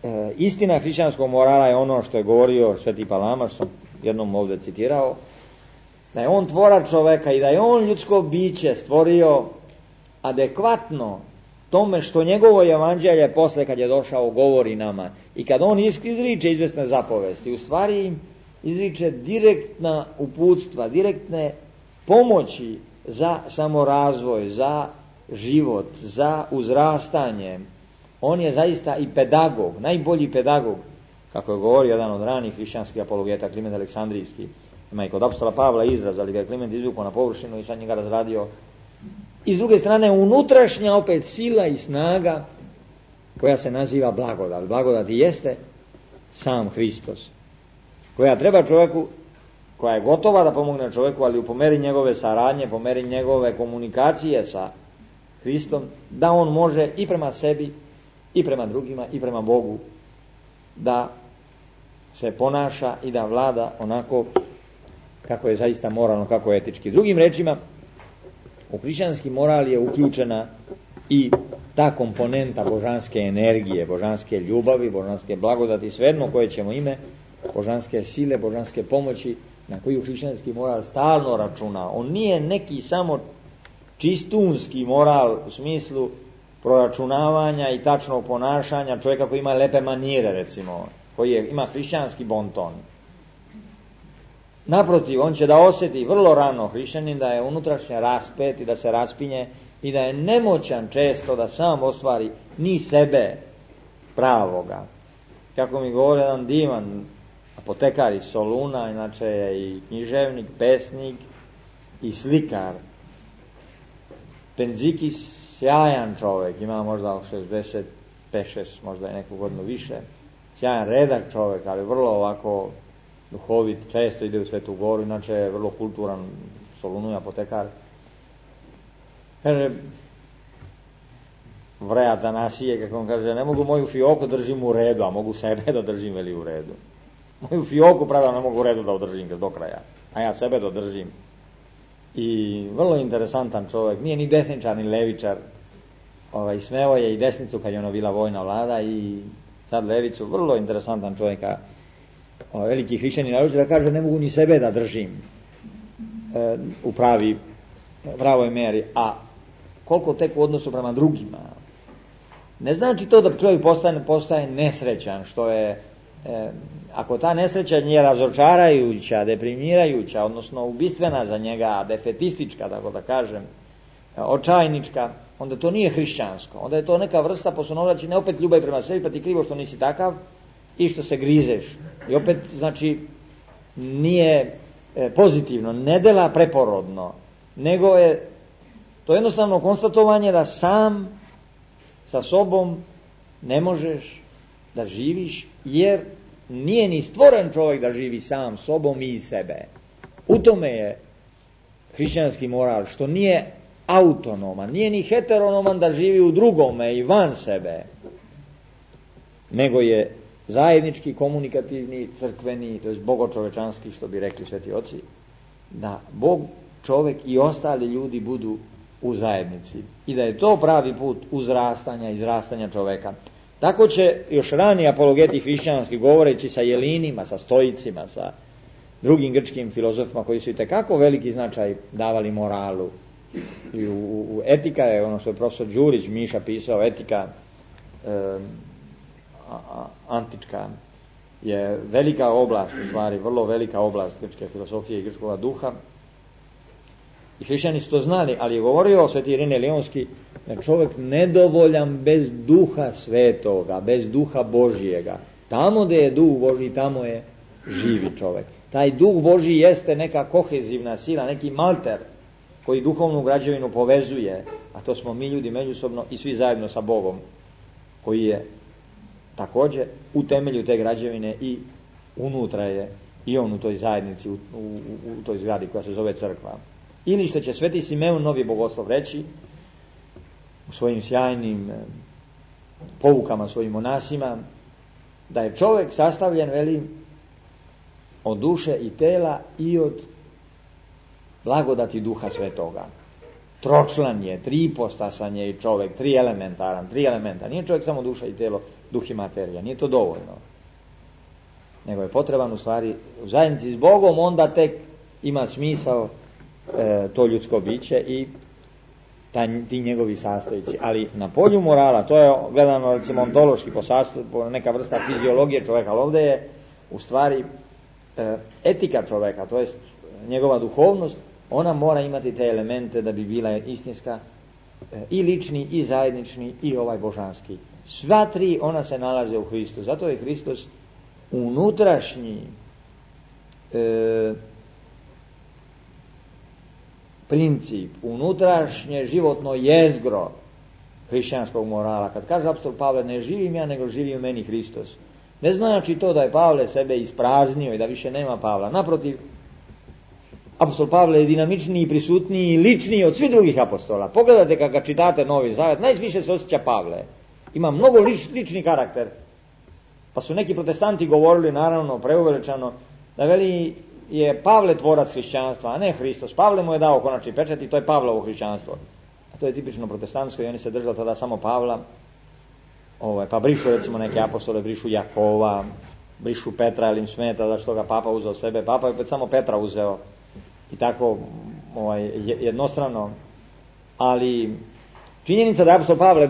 e, istina hrišćanskog morala je ono što je govorio Sveti Palama, što sam jednom ovdje citirao, da je on tvorac čoveka i da je on ljudsko biće stvorio adekvatno tome što njegovo evanđelje posle kad je došao govori nama i kad on izriče izvesne zapovesti, u stvari im izriče direktna uputstva, direktne pomoći za samorazvoj, za život, za uzrastanje. On je zaista i pedagog, najbolji pedagog, kako je govorio jedan od ranih hrišćanskih apologeta, Kliment Aleksandrijski. Ima i kod apostola Pavla izraz, ali ga je Kliment izvukao na površinu i sad njega razradio. I s druge strane unutrašnja opet sila i snaga koja se naziva blagodat. Blagodat i jeste sam Hristos, koja treba čovjeku, koja je gotova da pomogne čovjeku, ali u pomeri njegove saradnje, pomeri njegove komunikacije sa Hristom, da on može i prema sebi, i prema drugima, i prema Bogu da se ponaša i da vlada onako kako je zaista moralno, kako je etički. Drugim rečima, u hrišćanski moral je uključena i ta komponenta božanske energije, božanske ljubavi, božanske blagodati, svejedno koje ćemo ime, božanske sile, božanske pomoći, na koju hrišćanski moral stalno računa. On nije neki samo čistunski moral u smislu proračunavanja i tačnog ponašanja čovjeka koji ima lepe manire, recimo, koji je, ima hrišćanski bonton. Naprotiv, on će da osjeti vrlo rano hrišćanin da je unutrašnje raspet i da se raspinje i da je nemoćan često da sam ostvari ni sebe pravoga. Kako mi govori jedan divan apotekar iz Soluna, inače je i književnik, pesnik i slikar. Penzikis, sjajan čovjek, ima možda šezdeset pet šest, možda je neku godinu više. Sjajan redak čovjek, ali vrlo ovako duhovit, često ide u Svetu Goru, inače je vrlo kulturan, Solunu i apotekar. Kaže, vre Atanasije, kako on kaže, ne mogu moju fioku držim u redu, a mogu sebe da držim veli u redu. Moju fioku, pravda, ne mogu u redu da održim do kraja, a ja sebe da držim. I vrlo interesantan čovjek, nije ni desničar, ni levičar. Ovaj, smeo je i desnicu kad je ono bila vojna vlada i sad levicu, vrlo interesantan čovjek, a ovaj, veliki hrišćanin naruči da kaže ne mogu ni sebe da držim e, u pravi, pravoj meri, a koliko tek u odnosu prema drugima. Ne znači to da čovjek postaje, postaje nesrećan, što je, e, ako ta nesreća nije razočarajuća, deprimirajuća, odnosno ubistvena za njega, defetistička, tako da kažem, očajnička, onda to nije hrišćansko. Onda je to neka vrsta posunovraćenja, opet ljubav prema sebi, pa ti krivo što nisi takav i što se grizeš. I opet, znači, nije e, pozitivno, ne dela preporodno, nego je to jednostavno konstatovanje da sam sa sobom ne možeš da živiš, jer nije ni stvoren čovjek da živi sam sobom i sebe. U tome je hrišćanski moral, što nije autonoman, nije ni heteronoman da živi u drugome i van sebe, nego je zajednički, komunikativni, crkveni, to je bogočovečanski, što bi rekli sveti oci, da Bog, čovjek i ostali ljudi budu u zajednici i da je to pravi put uzrastanja i izrastanja čovjeka. Tako će još ranije apologeti hrišćanski, govoreći sa Jelinima, sa Stoicima, sa drugim grčkim filozofima koji su itekako veliki značaj davali moralu. I u, u etika je, ono što je profesor Đurić Miša pisao, etika e, a, a, antička je velika oblast, u stvari vrlo velika oblast grčke filozofije i grčkog duha. I hrišćani su to znali, ali je govorio sveti Irine Leonski da čovjek nedovoljan bez duha svetoga, bez duha Božijega. Tamo gdje je duh Božji, tamo je živi čovjek. Taj duh Božji jeste neka kohezivna sila, neki malter koji duhovnu građevinu povezuje, a to smo mi ljudi međusobno i svi zajedno sa Bogom, koji je također u temelju te građevine i unutra je i on u toj zajednici, u, u, u toj zgradi koja se zove crkva. Ili što će sveti Simeon Novi Bogoslov reći u svojim sjajnim poukama svojim monasima, da je čovjek sastavljen, veli, od duše i tela i od blagodati duha svetoga. Tročlan je, tripostasan je i čovjek, tri elementaran, tri elementa. Nije čovjek samo duša i telo, duh i materija, nije to dovoljno. Nego je potreban u stvari u zajednici s Bogom, onda tek ima smisao e, to ljudsko biće i taj, ti njegovi sastojci. Ali na polju morala, to je gledano recimo ontološki po sastavu, po neka vrsta fiziologije čovjeka, ali ovdje je u stvari e, etika čovjeka, to je njegova duhovnost, ona mora imati te elemente da bi bila istinska, e, i lični, i zajednični, i ovaj božanski. Sva tri ona se nalaze u Hristu. Zato je Hristos unutrašnji e, princip, unutrašnje životno jezgro hrišćanskog morala. Kad kaže apostol Pavle, ne živim ja, nego živi u meni Hristos. Ne znači to da je Pavle sebe ispraznio i da više nema Pavla. Naprotiv, apostol Pavle je dinamičniji, prisutniji i ličniji od svih drugih apostola. Pogledajte kad ga čitate Novi Zavet, najviše se osjeća Pavle. Ima mnogo lič, lični karakter. Pa su neki protestanti govorili, naravno, preuveličano, da veli je Pavle tvorac hrišćanstva, a ne Hristos. Pavle mu je dao konačni pečat i to je Pavlovo hrišćanstvo. A to je tipično protestantsko i oni se držali tada samo Pavla. Ovaj, pa brišu recimo neke apostole, brišu Jakova, brišu Petra, jer im smeta zašto ga Papa uzeo sebe. Papa je opet samo Petra uzeo i tako ovaj, jednostrano. Ali činjenica da je apostol Pavle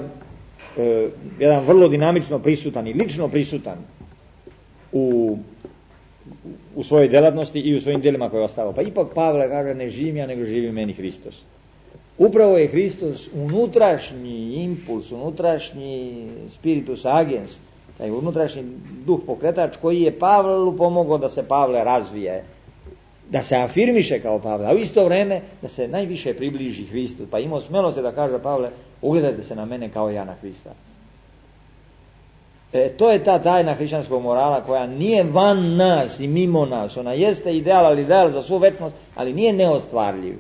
e, jedan vrlo dinamično prisutan i lično prisutan u, u svojoj djelatnosti i u svojim djelima koje je ostavio. Pa ipak Pavle kaže, ne živim ja, nego živi meni Hristos. Upravo je Hristos unutrašnji impuls, unutrašnji spiritus agens, taj unutrašnji duh pokretač koji je Pavlu pomogao da se Pavle razvije, da se afirmiše kao Pavle, a u isto vrijeme da se najviše približi Hristu. Pa imao smelosti da kaže Pavle, ugledajte se na mene kao ja na Hrista. E, to je ta tajna hrišćanskog morala koja nije van nas i mimo nas. Ona jeste ideal, ali ideal za svu večnost, ali nije neostvarljiv.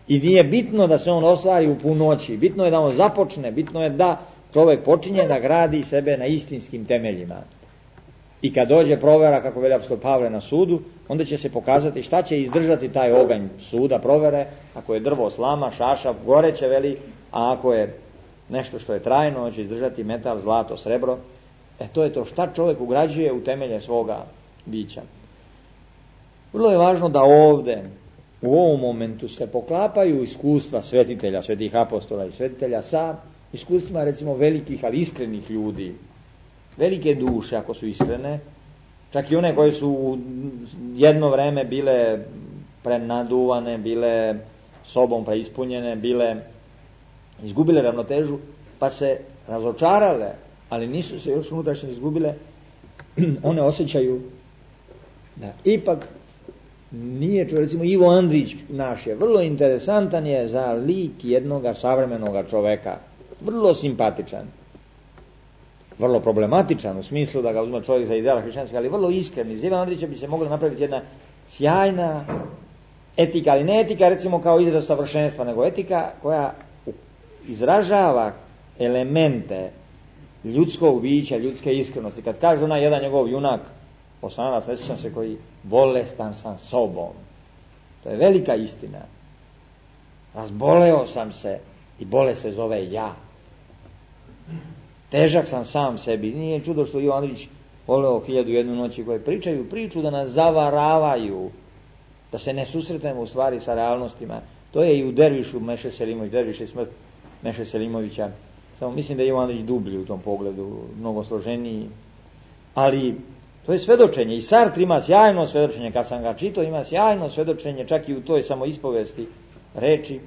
I nije bitno da se on ostvari u punoći. Bitno je da on započne, bitno je da čovjek počinje da gradi sebe na istinskim temeljima. I kad dođe provera, kako veli apostol Pavle, na sudu, onda će se pokazati šta će izdržati taj oganj suda, provere. Ako je drvo, slama, šašav, goreće, veli, a ako je nešto što je trajno, on će izdržati metal, zlato, srebro. E to je to šta čovjek ugrađuje u temelje svoga bića. Vrlo je važno da ovdje, u ovom momentu, se poklapaju iskustva svetitelja, svetih apostola i svetitelja sa iskustvima, recimo, velikih, ali iskrenih ljudi. Velike duše, ako su iskrene, čak i one koje su jedno vrijeme bile prenaduvane, bile sobom preispunjene, bile izgubile ravnotežu, pa se razočarale, ali nisu se još unutrašnje izgubile, one osjećaju da ipak nije čovjek, recimo Ivo Andrić naš je, vrlo interesantan je za lik jednoga savremenoga čovjeka, vrlo simpatičan. vrlo problematičan u smislu da ga uzme čovjek za ideala hrišćanska, ali vrlo iskren. Iz Ivana Andrića bi se mogla napraviti jedna sjajna etika, ali ne etika recimo kao izraz savršenstva, nego etika koja izražava elemente ljudskog bića, ljudske iskrenosti. Kad kaže onaj jedan njegov junak, Osanac, ne sjećam se koji, bolestan sam sobom. To je velika istina. Razboleo sam se i bolest se zove ja. Težak sam sam sebi. Nije čudo što Ivo Andrić voleo hiljadu jednu noći koje pričaju priču da nas zavaravaju, da se ne susretnemo u stvari sa realnostima. To je i u Dervišu Meše Selimović, Derviš je smrt Meše Selimovića. Samo mislim da je Ivo Andrić dublji u tom pogledu, mnogo složeniji. Ali to je svedočenje. I Sartre ima sjajno svedočenje, kad sam ga čitao, ima sjajno svedočenje, čak i u toj samoispovesti reči,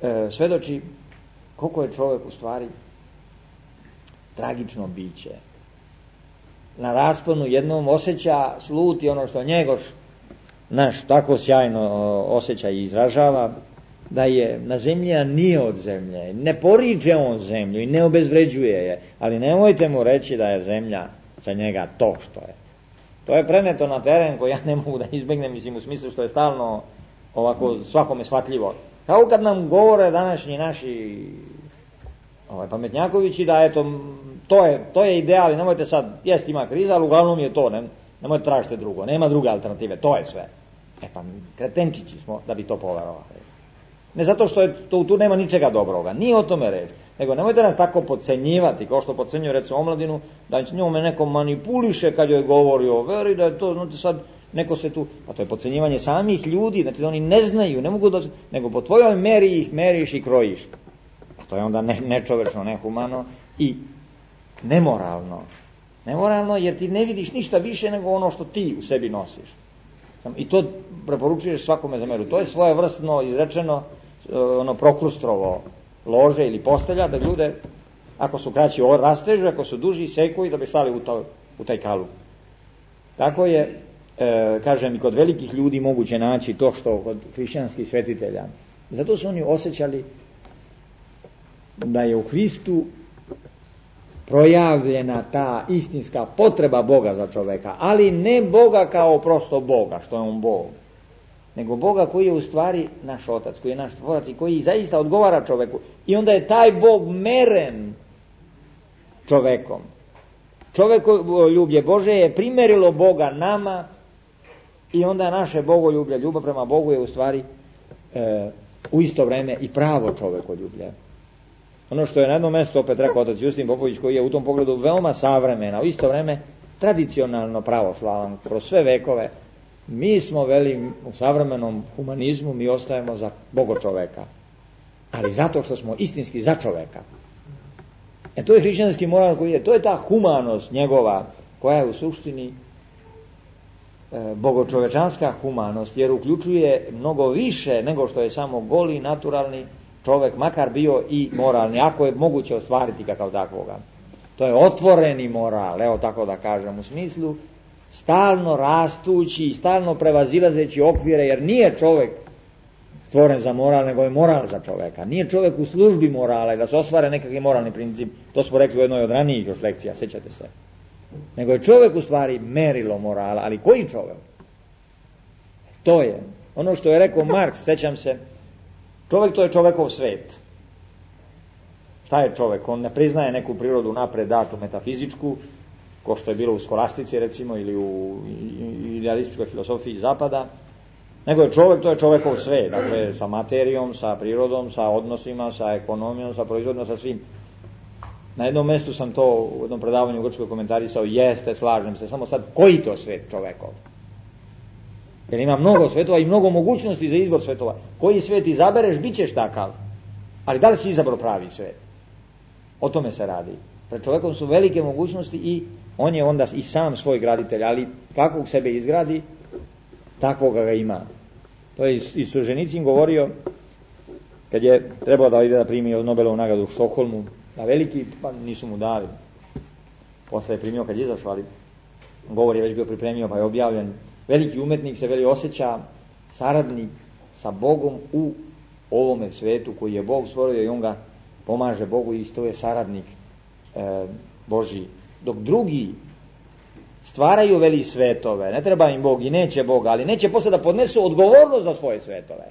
e, svedoči koliko je čovjek u stvari tragično biće. Na rasponu jednom osjeća, sluti ono što Njegoš naš tako sjajno osjeća i izražava, da je na zemlja nije od zemlje, ne poriče on zemlju i ne obezvređuje je, ali nemojte mu reći da je zemlja za njega to što je. To je preneto na teren koji ja ne mogu da izbjegnem, mislim u smislu što je stalno ovako svakome shvatljivo. Kao kad nam govore današnji naši ovaj, pametnjakovići da eto, to je, to je ideal i nemojte sad, jest ima kriza, ali uglavnom je to, ne, nemojte tražite drugo, nema druge alternative, to je sve. E pa kretenčići smo da bi to poverovali. Ne zato što je to, tu nema ničega dobroga, nije o tome reč, nego nemojte nas tako podcenjivati, kao što podcenjuje recimo omladinu, da njome neko manipuliše kad joj govori o veri, da je to, znate sad, neko se tu, pa to je podcenjivanje samih ljudi, znači da oni ne znaju, ne mogu da, nego po tvojoj meri ih meriš i krojiš. A to je onda ne, nečovečno, nehumano i nemoralno. Nemoralno jer ti ne vidiš ništa više nego ono što ti u sebi nosiš. I to preporučuješ svakome za meru. To je svojevrsno izrečeno ono prokrustrovo lože ili postelja da ljude, ako su kraći, rastežu, ako su duži, seku i da bi stali u, to, u taj kalup. Tako je, e, kažem, i kod velikih ljudi moguće naći to što kod hrišćanskih svetitelja. Zato su oni osjećali da je u Hristu projavljena ta istinska potreba Boga za čoveka, ali ne Boga kao prosto Boga, što je on Bog, nego Boga koji je u stvari naš Otac, koji je naš Tvorac i koji zaista odgovara čoveku. I onda je taj Bog meren čovekom. Čovekoljublje Bože je primerilo Boga nama i onda naše bogoljublje, ljubav prema Bogu je u stvari e, u isto vrijeme i pravo čovekoljublje. Ono što je na jednom mjestu opet rekao otac Justin Popović, koji je u tom pogledu veoma savremena, u isto vrijeme tradicionalno pravoslavan kroz sve vekove, mi smo veli u savremenom humanizmu, mi ostajemo za Bogo čoveka, ali zato što smo istinski za čoveka. E to je hrišćanski moral koji je, to je ta humanost njegova koja je u suštini e, bogočovečanska humanost, jer uključuje mnogo više nego što je samo goli, naturalni čovjek, makar bio i moralni, ako je moguće ostvariti ga kao takvoga. To je otvoreni moral, evo tako da kažem, u smislu stalno rastući, stalno prevazilazeći okvire, jer nije čovjek stvoren za moral, nego je moral za čovjeka. Nije čovjek u službi morala i da se ostvare nekakvi moralni princip, to smo rekli u jednoj od ranijih još lekcija, sjećate se. Nego je čovjek u stvari merilo morala, ali koji čovjek? To je ono što je rekao Marks, sjećam se, čovjek to je čovjekov svet. Šta je čovjek? On ne priznaje neku prirodu napred datu metafizičku, ko što je bilo u skolastici recimo ili u idealističkoj filosofiji zapada, nego je čovjek, to je čovjekov svet, dakle sa materijom, sa prirodom, sa odnosima, sa ekonomijom, sa proizvodom, sa svim. Na jednom mjestu sam to u jednom predavanju u Grčkoj komentarisao, jeste, slažem se, samo sad koji to svet čovjekov? Jer ima mnogo svetova i mnogo mogućnosti za izbor svetova. Koji svet izabereš, bit ćeš takav. Ali da li si izabrao pravi svet? O tome se radi. Pred čovjekom su velike mogućnosti i on je onda i sam svoj graditelj, ali kakvog sebe izgradi, takvoga ga ima. To je i Solženicin govorio kad je trebao da ide da primi Nobelovu nagradu u Štokholmu, da veliki, pa nisu mu dali. Posle je primio kad je izašao, ali govor je već bio pripremio pa je objavljen. Veliki umetnik se veli osjeća saradnik sa Bogom u ovome svetu koji je Bog stvorio i on ga pomaže Bogu i to je saradnik e, Božji. Dok drugi stvaraju, veli, svetove, ne treba im Bog i neće Boga, ali neće posle da podnesu odgovornost za svoje svetove.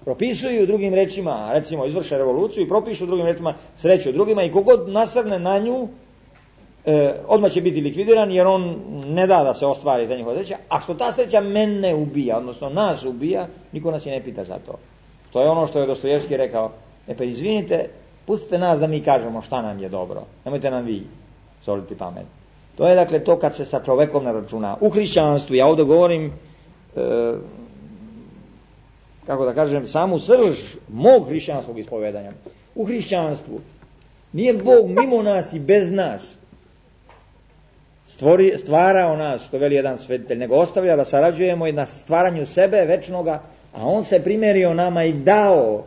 Propisuju drugim rečima, recimo izvrše revoluciju i propišu drugim rečima sreću drugima i kogod nasrne na nju, e, odmah će biti likvidiran jer on ne da da se ostvari za njihova sreća, a što ta sreća mene ubija, odnosno nas ubija, niko nas i ne pita za to. To je ono što je Dostojevski rekao, e pa izvinite, pustite nas da mi kažemo šta nam je dobro, nemojte nam vi soliti pamet. To je dakle to kad se sa čovekom ne računa. U hrišćanstvu, ja ovdje govorim, e, kako da kažem, samu srž mog hrišćanskog ispovedanja. U hrišćanstvu nije Bog mimo nas i bez nas stvori, stvarao nas, što veli jedan svetitelj, nego ostavlja da sarađujemo i na stvaranju sebe večnoga, a on se primerio nama i dao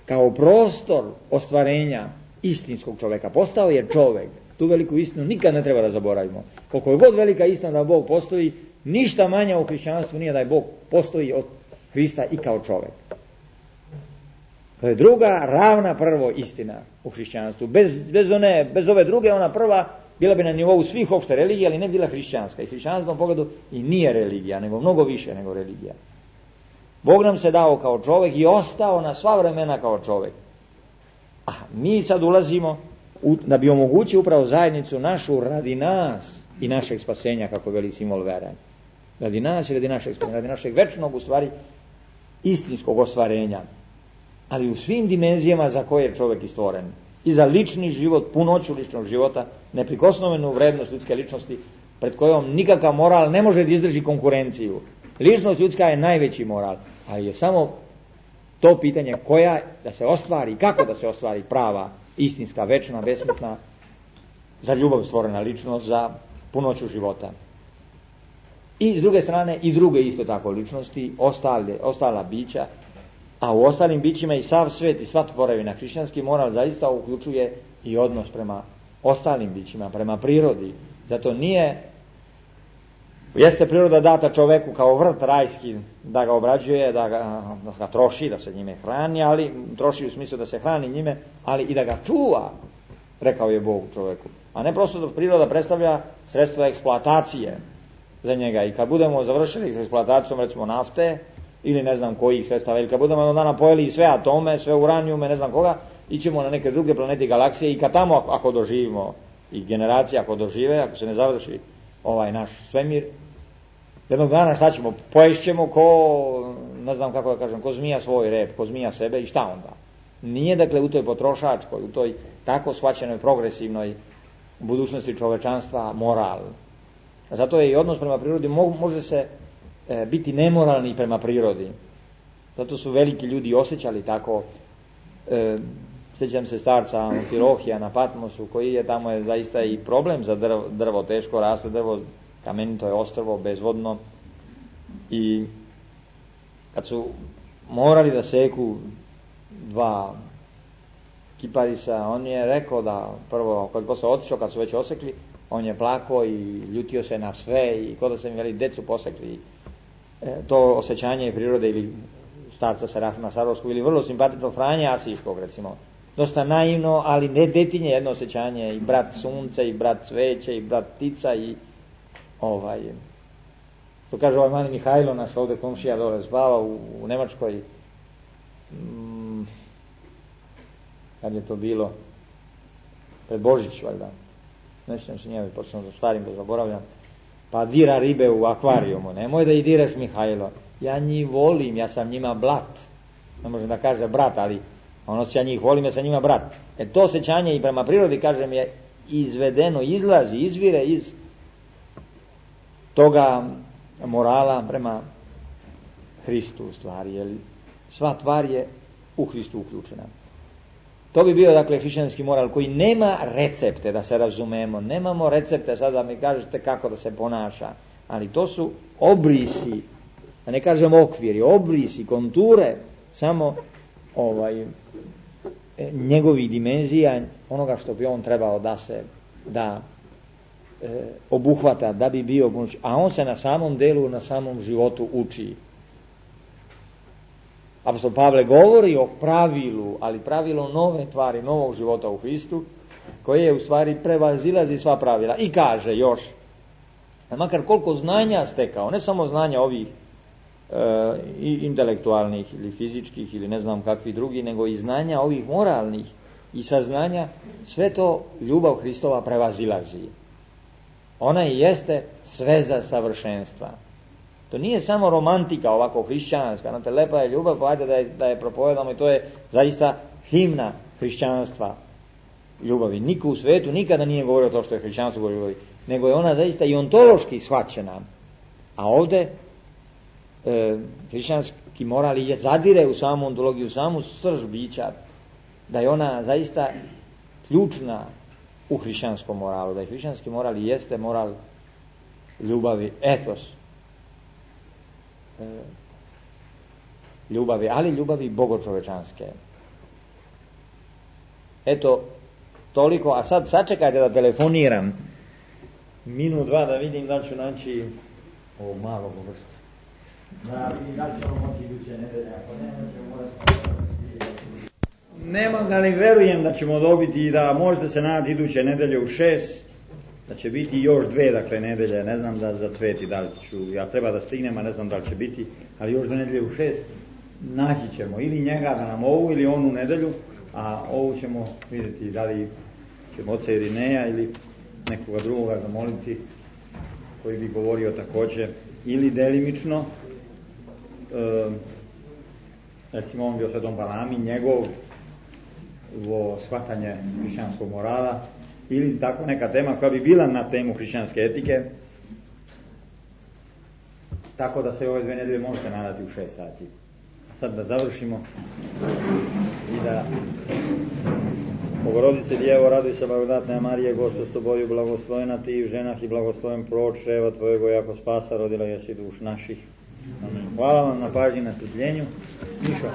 kao prostor ostvarenja istinskog čoveka. Postao je čovek. Tu veliku istinu nikad ne treba da zaboravimo. Koliko je god velika istina da Bog postoji, ništa manje u hrišćanstvu nije da je Bog postoji od Hrista i kao čovek. To je druga, ravna prvo istina u hrišćanstvu. Bez, bez, one, bez ove druge, ona prva bila bi na nivou svih opšte religija, ali ne bila hrišćanska. I hrišćanskom pogledu i nije religija, nego mnogo više nego religija. Bog nam se dao kao čovek i ostao na sva vremena kao čovek. A mi sad ulazimo u, da bi omogućio upravo zajednicu našu radi nas i našeg spasenja, kako veli simbol vere. Radi nas i radi našeg spasenja, radi našeg večnog, u stvari, istinskog ostvarenja. Ali u svim dimenzijama za koje je čovek i stvoren. I za lični život, punoću ličnog života, neprikosnovenu vrednost ljudske ličnosti, pred kojom nikakav moral ne može da izdrži konkurenciju. Ličnost ljudska je najveći moral, ali je samo to pitanje koja da se ostvari, kako da se ostvari prava, istinska, večna, besmrtna, za ljubav stvorena ličnost, za punoću života. I s druge strane i druge isto tako ličnosti, ostale, ostala bića, a u ostalim bićima i sav svet i sva tvorevina, hrišćanski moral zaista uključuje i odnos prema ostalim bićima, prema prirodi. Zato nije, jeste priroda data čoveku kao vrt rajski, da ga obrađuje, da ga, da ga troši, da se njime hrani, ali troši u smislu da se hrani njime, ali i da ga čuva, rekao je Bog čoveku. A ne prosto da priroda predstavlja sredstvo eksploatacije za njega. I kad budemo završili s eksploatacijom, recimo nafte, ili ne znam kojih sredstava, ili kad budemo jednog dana pojeli sve atome, sve uranijume, ne znam koga, ićemo na neke druge planete i galaksije i kad tamo ako, ako doživimo, i generacije ako dožive, ako se ne završi ovaj naš svemir, jednog dana šta ćemo? Poješćemo ko, ne znam kako da kažem, ko zmija svoj rep, ko zmija sebe i šta onda? Nije dakle u toj potrošačkoj, u toj tako shvaćenoj progresivnoj budućnosti čovečanstva moral. Zato je i odnos prema prirodi, može se e, biti nemoralni prema prirodi. Zato su veliki ljudi osjećali tako. E, sjećam se starca Amfilohija na Patmosu, koji je tamo je zaista i problem za drvo, drvo teško raste, drvo kamenito je ostrvo, bezvodno. I kad su morali da seku dva kiparisa, on je rekao da prvo, kad posle otišao, kad su već osekli, on je plakao i ljutio se na sve i kod da se mi veli decu posekli. E, to osjećanje prirode ili starca Serafima Sarovskog ili vrlo simpatično Franja Asiškog, recimo. Dosta naivno, ali ne detinje jedno osjećanje, i brat sunce, i brat cveće, i brat ptica, i ovaj, to kaže ovaj mali Mihajlo, naš ovdje komšija dole spava u, u Nemačkoj. Mm, kad je to bilo? Pred Božić, valjda. Ne sjećam se njega, počnem da stvarim, da zaboravljam. Pa dira ribe u akvarijumu. Nemoj da i diraš, Mihajlo. Ja njih volim, ja sam njima brat. Ne možem da kaže brat, ali ono se ja njih volim, ja sam njima brat. E to osjećanje i prema prirodi, kažem, je izvedeno, izlazi, izvire iz toga morala prema Hristu u stvari, jer sva tvar je u Hristu uključena. To bi bio, dakle, hrišćanski moral koji nema recepte, da se razumemo. Nemamo recepte, sad da mi kažete kako da se ponaša, ali to su obrisi, da ne kažem okviri, obrisi, konture, samo ovaj, njegovih dimenzija, onoga što bi on trebao da se da e, obuhvata, da bi bio, a on se na samom delu, na samom životu uči. Apostol Pavle govori o pravilu, ali pravilo nove tvari, novog života u Hristu, koje u stvari prevazilazi sva pravila. I kaže još, makar koliko znanja stekao, ne samo znanja ovih e, i intelektualnih ili fizičkih ili ne znam kakvih drugih, nego i znanja ovih moralnih i saznanja, sve to ljubav Hristova prevazilazi. Ona i jeste sveza savršenstva. To nije samo romantika ovako hrišćanska, znate, lepa je ljubav, pa ajde da je, da je propovedamo, i to je zaista himna hrišćanstva ljubavi. Niko u svetu nikada nije govorio to što je hrišćanstvo govori ljubavi, nego je ona zaista i ontološki shvaćena. A ovdje e, hrišćanski moral je zadire u samu ontologiju, u samu srž bića, da je ona zaista ključna u hrišćanskom moralu, da je hrišćanski moral i jeste moral ljubavi, etos e, ljubavi, ali ljubavi bogočovečanske. Eto, toliko, a sad sačekajte da telefoniram minut, dva, da vidim da ću naći ovo malo vrstu. Da vidim da ćemo moći iduće nedelje, ako ne, ćemo morati. Nemam da ne verujem da ćemo dobiti i da možete se nadati iduće nedelje u šest, da će biti još dve, dakle, nedelje, ne znam da za cveti da li ću, ja treba da stignem, a ne znam da li će biti, ali još dve nedelje u šest naći ćemo ili njega da nam ovu ili onu nedelju, a ovu ćemo vidjeti da li ćemo oca Irineja ili nekoga drugoga zamoliti koji bi govorio također ili delimično, e, recimo on bio Svetom Balami, njegov ovo shvatanje hrišćanskog morala, ili tako neka tema koja bi bila na temu hrišćanske etike, tako da se ove dve nedelje možete nadati u šest sati. Sad da završimo i da Bogorodice Djevo, raduj se blagodatna Marije, Gospod s tobою, blagoslovena ti i v ženah i blagosloven plod čreva tvojego, jako spasa rodila jesi duš naših. Amen. Hvala vam na pažnji, na strpljenju. Mišo.